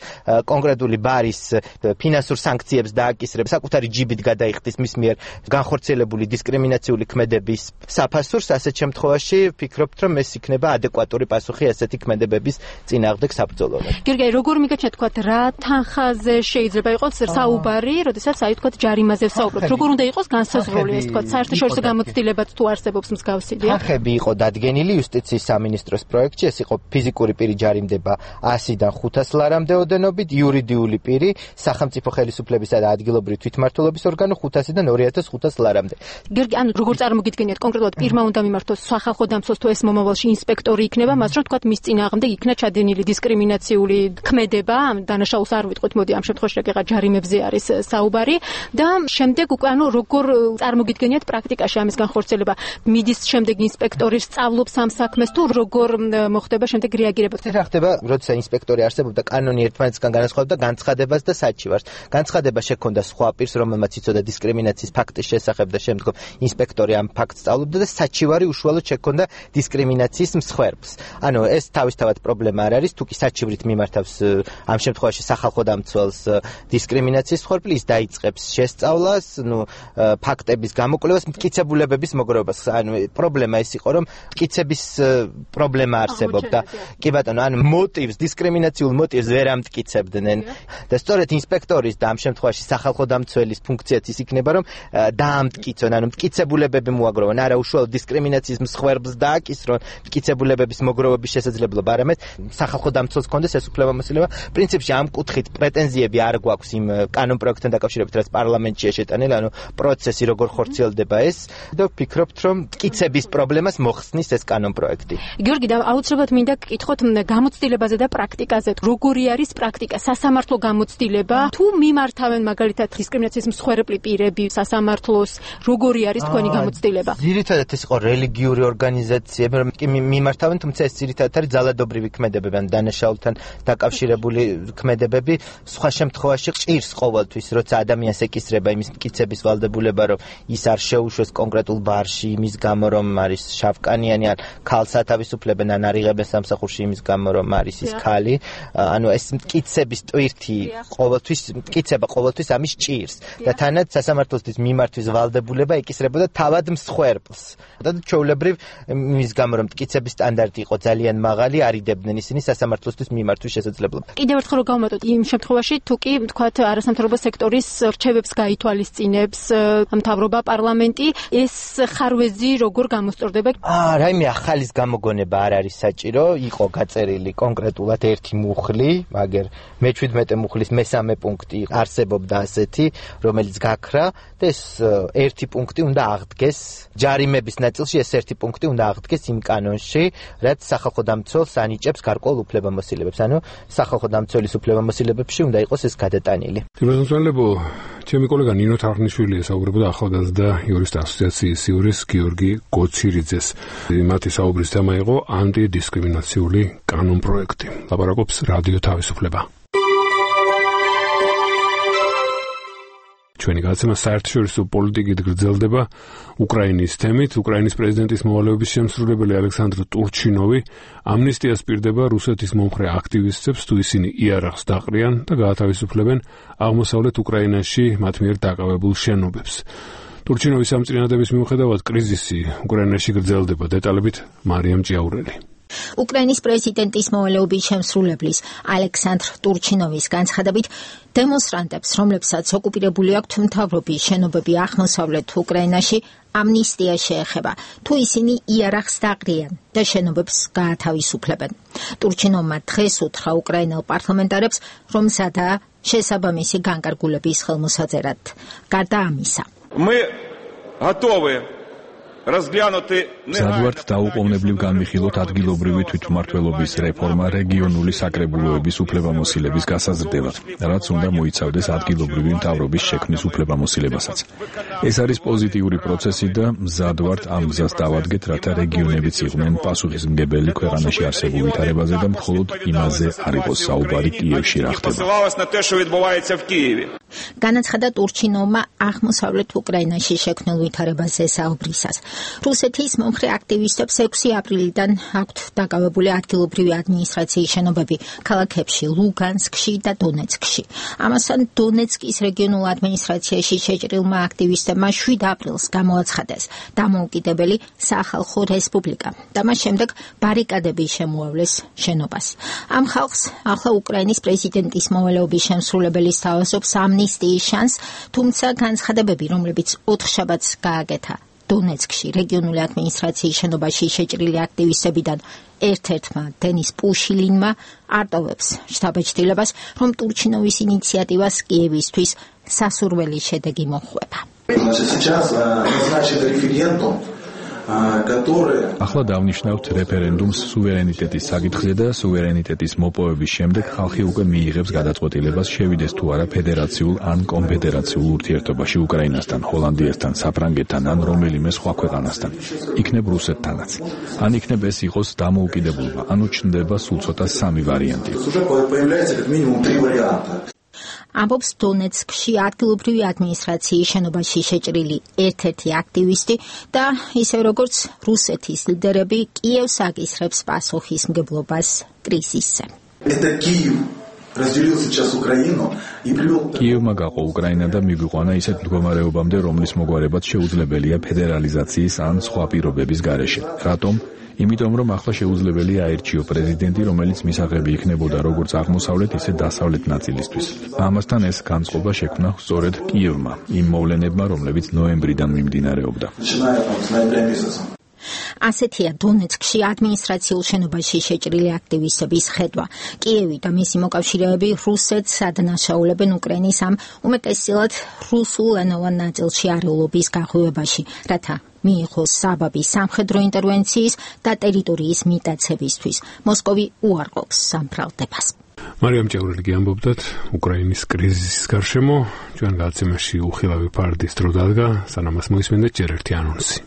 კონკრეტული ბარის ფინანსურ სანქციებს დააკისრებს, საკუთარი ჯიბით გადაიხდის მის მიერ განხორციელებული დისკრიმინაციული ქმედების საფასურს, ასეთ შემთხვევაში ვფიქრობთ, რომ ეს იქნება ადეკვატური პასუხი ასეთი ქმედებების წინააღმდეგ საბრძოლველად. გიორგი, როგორ მიგეჩნია თქვა რა თანხაზე შეიძლება იყოს საუბარი, როდესაც აი თქვა ჯარიმაზე ვსაუბრობთ. როგორ უნდა იყოს განსაზღვრული ეს თქვა საერთაშორისო გამოცდილებაც თუ არსებობს მსგავსი? თანხები იყო დადგენილი იუსტიციის სამინისტროს პროექტში, ეს იყო ფიზიკური პირი ჯარიმდება ასიდან ხუთას ლარამდე ოდენობით, იურიდიული პირი სახელმწიფო ხელისუფლებისა და ადგილობრივი თვითმმართველობის ორგანო ხუთასიდან ორი ათას ხუთას ლარამდე. გიორგი, ანუ როგორ წარმოგიდგენიათ კონკრეტულად პირმა უნდა მიმართოს სახალხო დამცველს თუ ეს მომავალში ინსპექტორი იქნება, მას რომ თქვა მის წინააღმდეგ იქნა ჩადენილი დისკრიმინაციული ქმედება, დანაშაულს არ ვიტყვით, მოდი ამ შემთხვევაში რაკეღა ჯარიმებზე არის საუბარი და შემდეგ უკვე ანუ როგორ წარმოგიდგენიათ პრაქტიკაში ამის განხორციელება, მიდის შემდეგ ინსპექტორი სწავლობს ამ საქმეს თუ როგორ მოხდება შემდეგ რეაგირება? რა ხდება, როცა ინსპექტორი არსებობდა, კანონი ერთმანეთისგან განასხვავებდა განცხადებას და საჩივარს. განცხადება შექონდა სხვა პირს, რომელმაც იცოდა დისკრიმინაციის ფაქტის შესახებ და შემდგომ ინსპექტორი ამ ფაქტს სწავლობდა და საჩივარი უშუალოდ შექონდა დისკრიმინაციის მსხვერპლს. ანუ ეს თავისთავად პრობლემა არ არის, თუ კი საჩივრით მიმართავს ამ შემთხვევაში სახალხო დამცველს დისკრიმინაციის მსხვერპლი, ის დაიწყებს შესწავლას, ნუ ფაქტების გამოკვლევას, მტკიცებულებების მოგროვებას. ანუ პრობლემა ეს იყო, რომ მტკიცების პრობლემა არსებობდა. კი ბატონო, ანუ მოტივს, დისკრიმინაციულ მოტივს ვერ ამტკიცებდნენ და სწორედ ინსპექტორის და ამ შემთხვევაში სახალხო დამცველის ფუნქციაც ის იქნება, რომ დაამტკიცონ, ანუ მტკიცებულებები მოაგროვონ, არა უშუალოდ დისკრიმინაციის მსხვერპლს დააკისრონ მტკიცებულებების მოგროვების შესაძლებლობა, არამედ სახალხო დამცველს ჰქონდეს ეს უფლება-მოსილება. პრინციპში ამ კუთხით პრეტენზიები არ გვაქვს იმ კანონ პროექტთან დაკავშირებით, რაც პარლამენტშია შეტანილი, ანუ პროცესი როგორ ხორციელდება ეს და ვფიქრობთ, რომ მტკიცების პრობლემას მოხსნის ეს კანონ პროექტი. გიორგი, და აუცილებლად მინდა გკითხოთ გამოცდილებაზე და პრაქტიკაზე. როგორი არის პრაქტიკა, სასამართლო გამოცდილება, თუ მიმართავენ მაგალითად დისკრიმინაციის მსხვერპლი პირები სასამართლოს, როგორი არის თქვენი გამოცდილება? ძირითადად ეს იყო რელიგიური ორგანიზაციები, რომ კი მიმართავენ, თუმცა ეს ძირითადად არის ძალადობრივი ქმედებები, ან დანაშაულთან დაკავშირებული ქმედებები. სხვა შემთხვევაში ჭირს ყოველთვის, როცა ადამიანს ეკისრება იმის მტკიცების ვალდებულება, რომ ის არ შეუშვეს კონკრეტულ ბარში იმის გამო, რომ არის შავკანიანი, ან ქალს ათავისუფლებენ, ან არ იღებენ სამსახურში იმის გამო, რომ არის ის ქალი. ანუ ეს მტკიცების ტვირთი ყოველთვის, მტკიცება ყოველთვის ამის ჭირს და თანაც სასამართლოსთვის მიმართვის ვალდებულება ეკისრებოდა თავად მსხვერპლს. და ჩვეულებრივ იმის გამო, რომ მტკიცების სტანდარტი იყო ძალიან მაღალი, არიდებდნენ ისინი სასამართლოსთვის მიმართვის შესაძლებლობა. კიდევ ერთხელ რომ გავუმატოთ იმ შემთხვევაში, თუ კი თქვათ არასამთავრობო სექტორის რჩევებს გაითვალისწინებს მთავრობა, პარლამენტი, ეს ხარვეზი როგორ გამოსწორდება? აა, რაიმე ახალის გამოგონება არ არის საჭირო, იყო გაწერილი კონკრეტულად ერთი მუხლი, მაგერ მეჩვიდმეტე მუხლის მესამე პუნქტი არსებობდა ასეთი, რომელიც გაქრა და ეს ერთი პუნქტი უნდა აღდგეს ჯარიმების ნაწილში, ეს ერთი პუნქტი უნდა აღდგეს იმ კანონში, რაც სახალხო დამცველს ანიჭებს გარკვეულ უფლებამოსილებებს. ანუ სახალხო დამცველის უფლებამოსილებებში უნდა იყოს ეს გადატანილი. თემაზონლებო, ჩემი კოლეგა ნინო თარხნიშვილი ესაუბრებოდა ახალგაზრდა იურისტთა ასოციაციის იურის გიორგი გოცირიძეს. მათი საუბრის თემა იყო ანტიდისკრიმინაციული კანონ პროექტი. ლაპარაკობს რადიო თავისუფლება. ჩვენი გადაცემა საერთაშორისო პოლიტიკით გრძელდება უკრაინის თემით. უკრაინის პრეზიდენტის მოვალეობის შემსრულებელი ალექსანდრ ტურჩინოვი ამნისტიას პირდება რუსეთის მომხრე აქტივისტებს, თუ ისინი იარაღს დაყრიან და გაათავისუფლებენ აღმოსავლეთ უკრაინაში მათ მიერ დაკავებულ შენობებს. ტურჩინოვის ამ წინადადების მიუხედავად კრიზისი უკრაინაში გრძელდება. დეტალებით მარიამ ჭიაურელი. უკრაინის პრეზიდენტის მოვალეობის შემსრულებლის ალექსანდრ ტურჩინოვის განცხადებით, დემონსტრანტებს, რომლებსაც ოკუპირებული აქვთ მთავრობის შენობები აღმოსავლეთ უკრაინაში, ამნისტია შეეხება, თუ ისინი იარაღს დაყრიან და შენობებს გაათავისუფლებენ. ტურჩინოვმა დღეს უთხრა უკრაინელ პარლამენტარებს, რომ სადაა შესაბამისი განკარგულების ხელმოსაწერად. გარდა ამისა, Мы готовы მზადვართ დაუყოვნებლივ განვიხილოთ ადგილობრივი თვითმმართველობის რეფორმა რეგიონული საკრებულოების უფლებამოსილების გასაზრდელად, რაც უნდა მოიცავდეს ადგილობრივი მთავრობის შექმნის უფლებამოსილებასაც. ეს არის პოზიტიური პროცესი და მზადვართ ამ გზას დავადგეთ, რათა რეგიონებიც იყვნენ პასუხისმგებელი ქვეყანაში არსებულ ვითარებაზე და მხოლოდ იმაზე არ იყოს საუბარი კიევში რა ხდება. განაცხადა ტურჩინოვმა აღმოსავლეთ უკრაინაში შექმნილ ვითარებაზე საუბრისას. რუსეთის მომხრე აქტივისტებს ექვსი აპრილიდან აქვთ დაკავებული ადგილობრივი ადმინისტრაციის შენობები ქალაქებში ლუგანსკში და დონეცკში. ამასთან დონეცკის რეგიონულ ადმინისტრაციაში შეჭრილმა აქტივისტებმა შვიდ აპრილს გამოაცხადეს დამოუკიდებელი სახალხო რესპუბლიკა და მას შემდეგ ბარიკადები შემოავლეს შენობას. ამ ხალხს ახლა უკრაინის პრეზიდენტის მოვალეობის შემსრულებელი სთავაზობს ამნისტიის შანსს, თუმცა განცხადებები, რომლებიც ოთხშაბათს გააკეთა დონეცკში რეგიონული ადმინისტრაციის შენობაში შეჭრილი აქტივისტებიდან ერთ-ერთმა დენის პუშილინმა არტოვებს შთაბეჭდილებას, რომ ტურჩინოვის ინიციატივას კიევისთვის სასურველი შედეგი მოჰყვება. ახლა დავნიშნავთ რეფერენდუმს სუვერენიტეტის საკითხზე და სუვერენიტეტის მოპოვების შემდეგ ხალხი უკვე მიიღებს გადაწყვეტილებას შევიდეს თუ არა ფედერაციულ ან კონფედერაციულ ურთიერთობაში უკრაინასთან, ჰოლანდიასთან, საფრანგეთთან ან რომელიმე სხვა ქვეყანასთან. იქნებ რუსეთთანაც. ან იქნებ ეს იყოს დამოუკიდებლობა, ანუ ჩნდება სულ ცოტა სამი ვარიანტი. ამბობს დონეცკში ადგილობრივი ადმინისტრაციის შენობაში შეჭრილი ერთ-ერთი აქტივისტი და ისე როგორც რუსეთის ლიდერები კიევს აკისრებს პასუხისმგებლობას კრიზისზე. კიევმა გაყო უკრაინა და მიგვიყვანა ისეთ მდგომარეობამდე, რომლის მოგვარებაც შეუძლებელია ფედერალიზაციის ან სხვა პირობების გარეშე. რატომ? იმიტომ რომ ახლა შეუძლებელია აერჩიო პრეზიდენტი, რომელიც მისაღები იქნებოდა როგორც აღმოსავლეთ, ისე დასავლეთ ნაწილისთვის. ამასთან ეს განწყობა შექმნა სწორედ კიევმა, იმ მოვლენებმა, რომლებიც ნოემბრიდან მიმდინარეობდა. ასეთია დონეცკში ადმინისტრაციულ შენობაში შეჭრილი აქტივისტების ხედვა. კიევი და მისი მოკავშირეები რუსეთს ადანაშაულებენ უკრაინის ამ უმეტესწილად რუსულენოვან ნაწილში არეულობის გაღვივებაში, რათა მიიღოს საბაბი სამხედრო ინტერვენციის და ტერიტორიის მიტაცებისთვის. მოსკოვი უარყოფს სამფრალდებას. მარიამ ჭევრელი ამბობდათ უკრაინის კრიზისის გარშემო, ჩვენ გადაცემაში უხილავი ფარდის დრო დადგა, სანამ მას მოისმენდეთ ჯერ ერთი ანონსი.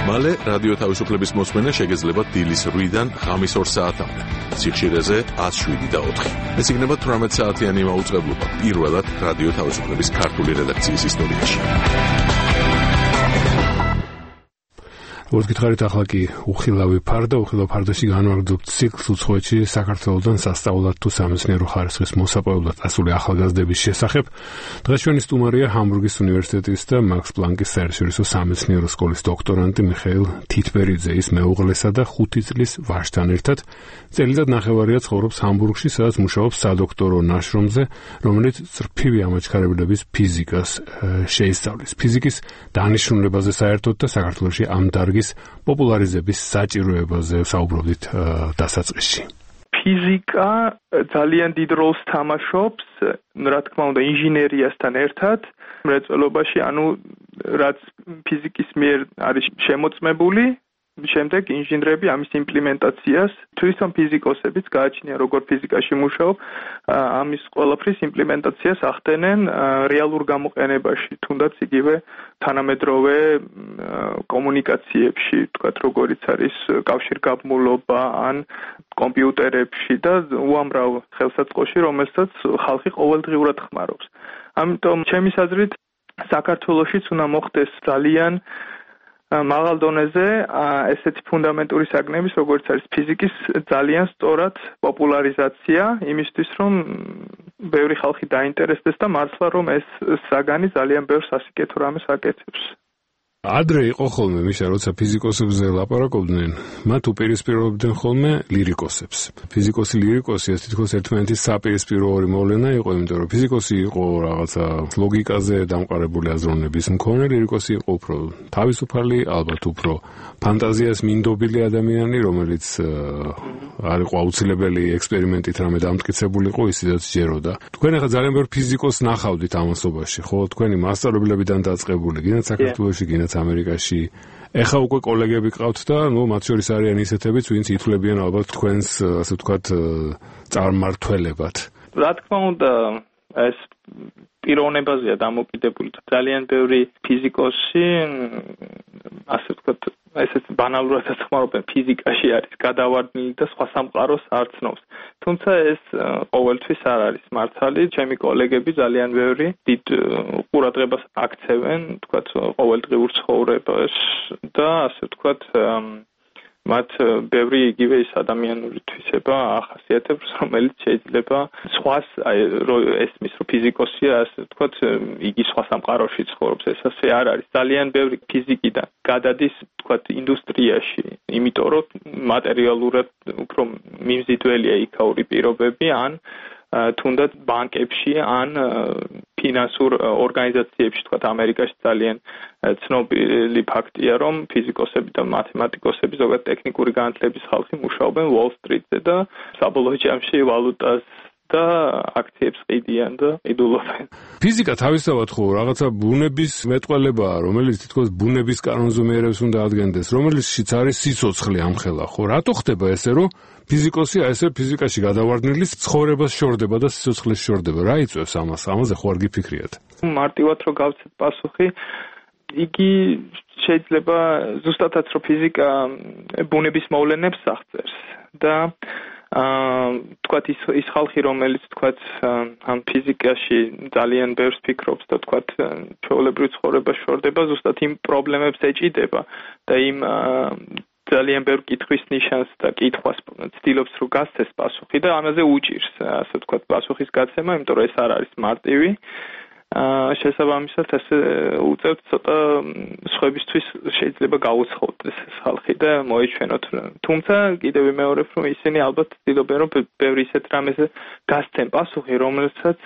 მალე რადიო თავისუფლების მოსმენა შეგეძლება დილის რვიდან ღამის ორ საათამდე. სიხშირეზე ათს შვიდი და ოთხი. ეს იქნება თვრამეტ საათიანი მაუწყებლობა პირველად რადიო თავისუფლების ქართული რედაქციის ისტორიაში. როგორც გითხარით, ახლა კი უხილავი ფარდა, უხილავ ფარდაში განვაგრძობთ ციკლს უცხოეთში საქართველოსთან სასწაულად თუ სამეცნიერო ხარისხის მოსაპოვებლად წასული ახალგაზრდების შესახებ. დღეს ჩვენი სტუმარია ჰამბურგის უნივერსიტეტის და მაქს პლანკის საერთაშორისო სამეცნიერო სკოლის დოქტორანტი მიხეილ თითბერიძე, ის მეუღლესა და ხუთი წლის ვაჟთან ერთად. წელიწად ნახევარია ცხოვრობს ჰამბურგში, სადაც მუშაობს სადოქტორო ნაშრომზე, რომელიც წრფივი ამაჩქარებლების ფიზიკას შეისწავლის. ფიზიკის დანიშნულებაზე საერთოდ და საქართველოში ამ დარგის პოპულარიზების საჭიროებაზე საუბრობდით დასაწყისში. ფიზიკა ძალიან დიდ როლს თამაშობს, რა თქმა უნდა, ინჟინერიასთან ერთად, მრეწველობაში, ანუ რაც ფიზიკის მიერ არის შემოწმებული, შემდეგ ინჟინრები ამის იმპლემენტაციას, თვითონ ფიზიკოსებიც გააჩნია, როგორ ფიზიკაში მუშაობ, ამის ყველაფრის იმპლემენტაციას ახდენენ რეალურ გამოყენებაში, თუნდაც იგივე თანამედროვე კომუნიკაციებში, თქვათ, როგორიც არის კავშირგაბმულობა ან კომპიუტერებში და უამრავ ხელსაწყოში, რომელსაც ხალხი ყოველდღიურად ხმარობს. ამიტომ ჩემი აზრით, საქართველოშიც უნდა მოხდეს ძალიან მაღალ დონეზე ესეთი ფუნდამენტური საგნების, როგორც არის ფიზიკის ძალიან სწორად პოპულარიზაცია, იმისთვის რომ ბევრი ხალხი დაინტერესდეს და მართლა რომ ეს საგანი ძალიან ბევრ სასიკეთო რამეს აკეთებს. ადრე იყო ხოლმე მიშა, როცა ფიზიკოსებზე ლაპარაკობდნენ, მათ უპირისპირებდნენ ხოლმე ლირიკოსებს. ფიზიკოსი ლირიკოსი ეს თითქოს ერთმანეთის საპირისპირო ორი მოვლენა იყო, იმიტომ რომ ფიზიკოსი იყო რაღაცა ლოგიკაზე დამყარებული აზროვნების მქონე, ლირიკოსი იყო უფრო თავისუფალი, ალბათ უფრო ფანტაზიას მინდობილი ადამიანი, რომელიც არ იყო აუცილებელი ექსპერიმენტით რამე დამტკიცებულიყო, ისედაც ჯეროდა. თქვენ ახლა ძალიან ბევრ ფიზიკოსს ნახავდით ამასობაში, ხო? თქვენი მასწავლებლებიდან დაწყებული, გინდათ საქართველოში, გინდათ ამერიკაში. ეხა უკვე კოლეგები ყავთ და, ნუ, მათ შორის არიან ისეთებიც, ვინც ითვლებიან ალბათ თქვენს, ასე ვთქვათ, წარმმართველებად. რა თქმა უნდა, ეს პიროვნებაზეა დამოკიდებული. ძალიან ბევრი ფიზიკოსი, ასე ვთქვათ, ესეც ბანალურადაც ხმარობენ, ფიზიკაში არის გადავარდნილი და სხვა სამყაროს არ ცნობს. თუმცა ეს ყოველთვის არ არის მართალი. ჩემი კოლეგები ძალიან ბევრი დიდ ყურადღებას აქცევენ, თქვათ, ყოველდღიურ ცხოვრებას და ასე ვთქვათ, მათ ბევრი იგივე ის ადამიანური თვისება ახასიათებს, რომელიც შეიძლება სხვას ესმის, რომ ფიზიკოსია, ასე ვთქვათ, იგი სხვა სამყაროში ცხოვრობს. ეს ასე არ არის. ძალიან ბევრი ფიზიკიდან გადადის, ვთქვათ, ინდუსტრიაში, იმიტომ რომ მატერიალურად უფრო მიმზიდველია იქაური პირობები, ან თუნდაც ბანკებში, ან ფინანსურ ორგანიზაციებში, თქვათ, ამერიკაში ძალიან ცნობილი ფაქტია, რომ ფიზიკოსები და მათემატიკოსები, ზოგადად ტექნიკური განათლების ხალხი მუშაობენ Wall Street-ზე და საბოლოო ჯამში ვალუტას და აქციებს ყიდიან და იდულობენ. ფიზიკა თავისთავად ხო რაღაცა ბუნების მეტყველებაა, რომელიც თითქოს ბუნების კანონზომიერებს უნდა ადგენდეს, რომელიცშიც არის სიცოცხლე ამხელა, ხო? რატო ხდება ესე, რომ ფიზიკოსი ესე ფიზიკაში გადავარდნილის ცხოვრებას შორდება და სიცოცხლეს შორდება? რა იწვევს ამას? ამაზე ხო არ გიფიქრიათ? მარტივად რო გავცეთ პასუხი, იგი შეიძლება ზუსტადაც რომ ფიზიკა ბუნების მოვლენებს აღწერს და აა თქვათ ის ის ხალხი რომელიც თქვათ ამ ფიზიკაში ძალიან ბევრს ფიქრობს და თქვათ ჩვეულებრივ ცხოვრებას შორდება ზუსტად იმ პრობლემებს ეჭიდება და იმ ძალიან ბევრ კითხვის ნიშანს და კითხვას ცდილობს რომ გასცეს პასუხი და ამაზე უჭირს ასე ვთქვათ პასუხის გაცემა, იმიტომ რომ ეს არ არის მარტივი. აა შესაბამისად ეს უწევთ ცოტა სხვებისთვის შეიძლება გაუცხოდეს ეს ხალხი და მოეჩვენოთ. თუმცა კიდევ ვიმეორებ რომ ისინი ალბათ ცდილობენ რომ ბევრი ისეთ რამეზე გასცენ პასუხი, რომელსაც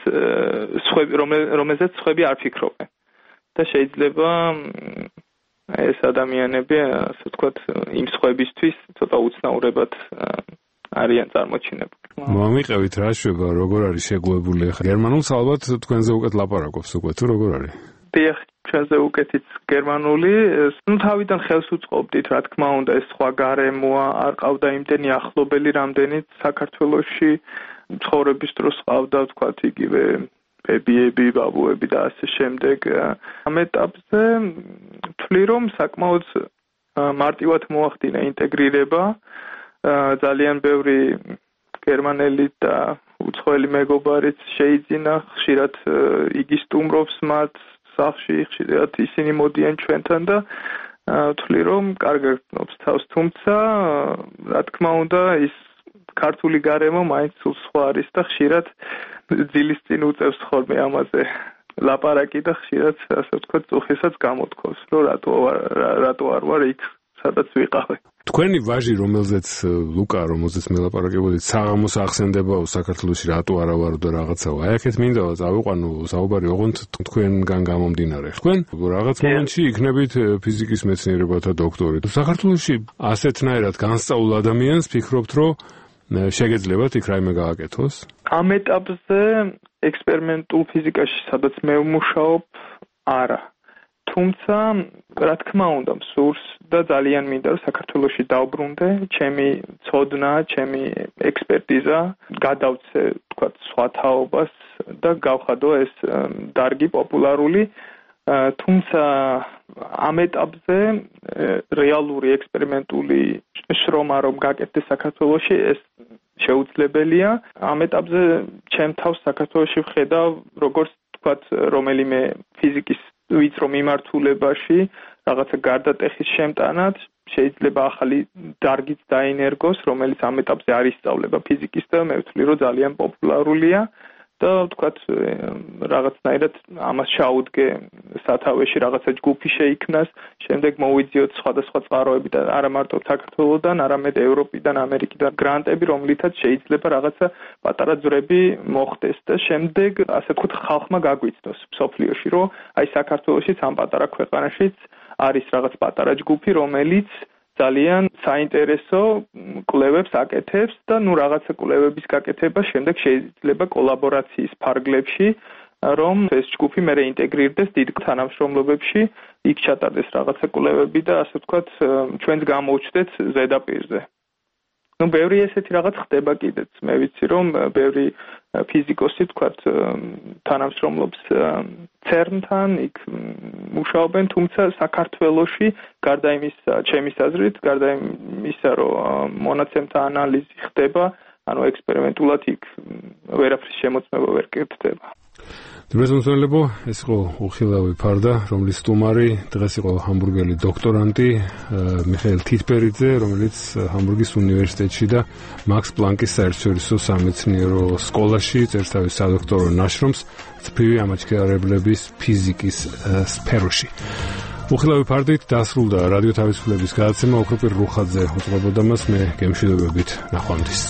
სხვები რომელზეც სხვები არ ფიქრობენ. და შეიძლება ეს ადამიანები ასე ვთქვათ იმ სხვებისთვის ცოტა უცნაურებად არიან წარმოჩინებული. მომიყევით რა შვება, როგორ არის შეგუებული ახლა? გერმანულს ალბათ თქვენზე უკეთ ლაპარაკობს უკვე თუ როგორ არის? დიახ, ჩვენზე უკეთიც გერმანული, ნუ თავიდან ხელს უწყობდით, რა თქმა უნდა, ეს სხვა გარემოა, არ ყავდა იმდენი ახლობელი, რამდენიც საქართველოში ცხოვრების დროს ყავდა, ვთქვათ, იგივე ბებიები, ბაბუები და ასე შემდეგ. ამ ეტაპზე ვთვლი, რომ საკმაოდ მარტივად მოახდინა ინტეგრირება. ძალიან ბევრი გერმანელი და უცხოელი მეგობარიც შეიძინა, ხშირად იგი სტუმრობს მათ სახლში, ხშირად ისინი მოდიან ჩვენთან და ვთვლი, რომ კარგად გრძნობს თავს, თუმცა რა თქმა უნდა ის ქართული გარემო მაინც სულ სხვა არის და ხშირად ძილის წინ უწევს ხოლმე ამაზე ლაპარაკი და ხშირად ასე ვთქვათ წუხისაც გამოთქვას, რომ რატო რატო არ ვარ იქ, სადაც ვიყავე. თქვენი ვაჟი, რომელზეც ლუკა, რომელზეც მელაპარაკებოდით, საღამოს ახსენდებაო საქართველოში რატო არა ვარო და რაღაცაო. აი აქეთ მინდა წავიყვანო საუბარი, ოღონდ თქვენგან გამომდინარე. თქვენ რაღაც მომენტში იქნებით ფიზიკის მეცნიერებათა დოქტორი. საქართველოში ასეთნაირად განსწავლ ადამიანს ფიქრობთ, რომ შეგეძლებათ იქ რაიმე გააკეთოს? ამ ეტაპზე ექსპერიმენტულ ფიზიკაში, სადაც მე ვმუშაობ, არა. თუმცა, რა თქმა უნდა, მსურს და ძალიან მინდა რომ საქართველოში დავბრუნდე, ჩემი ცოდნა, ჩემი ექსპერტიზა გადავცე, თქვათ, სხვა თაობას და გავხადო ეს დარგი პოპულარული. თუმცა ამ ეტაპზე რეალური ექსპერიმენტული შრომა რომ გაკეთდეს საქართველოში, ეს შეუძლებელია. ამ ეტაპზე ჩემ თავს საქართველოში ვხედავ, როგორც თქვათ, რომელიმე ფიზიკის ვიწრო მიმართულებაში რაღაცა გარდატეხის შემტანად შეიძლება ახალი დარგიც დაინერგოს, რომელიც ამ ეტაპზე არ ისწავლება ფიზიკის და მე ვთვლი, რომ ძალიან პოპულარულია და ვთქვათ, რაღაცნაირად ამას ჩაუდგე სათავეში რაღაცა ჯგუფი შეიქმნას, შემდეგ მოვიძიოთ სხვადასხვა წყაროები და არა მარტო საქართველოსდან, არამედ ევროპიდან, ამერიკიდან გრანტები, რომლითაც შეიძლება რაღაცა პატარა ძვრები მოხდეს და შემდეგ, ასე ვთქვათ, ხალხმა გაგვიცნოს მსოფლიოში, რომ აი საქართველოშიც ამ პატარა ქვეყანაშიც არის რაღაც პატარა ჯგუფი, რომელიც ძალიან საინტერესო კვლევებს აკეთებს და ნუ რაღაცა კვლევების გაკეთება შემდეგ შეიძლება კოლაბორაციის ფარგლებში, რომ ეს ჯგუფი მე რეინტეგრირდეს დიდ თანამშრომლობებში, იქ ჩატარდეს რაღაცა კვლევები და ასე ვთქვათ, ჩვენც გამოვჩნდეთ ზედაპირზე. ნუ ბევრი ესეთი რაღაც ხდება კიდეც. მე ვიცი, რომ ბევრი ფიზიკოსი თქვათ თანამშრომლობს ცერნთან, იქ მუშაობენ, თუმცა საქართველოში გარდა იმისა, ჩემის აზრით, გარდა იმისა, რომ მონაცემთა ანალიზი ხდება, ანუ ექსპერიმენტულად იქ ვერაფრის შემოწმება ვერ კეთდება. დრეზონსონლებო, ეს იყო უხილავი ფარდა, რომლის სტუმარი დღეს იყო ჰამბურგელი დოქტორანტი მიხეილ თითბერიძე, რომელიც ჰამბურგის უნივერსიტეტში და მაქს პლანკის საერთაშორისო სამეცნიერო სკოლაში წერს თავის სადოქტორო ნაშრომს ციფრივი ამაჩქარებლების ფიზიკის სფეროში. უხილავი ფარდით დასრულდა რადიო თავისუფლების გადაცემა, ოქროპირ რუხაძე უწყებოდა მას, მე გემშვიდობებით, ნახვამდის.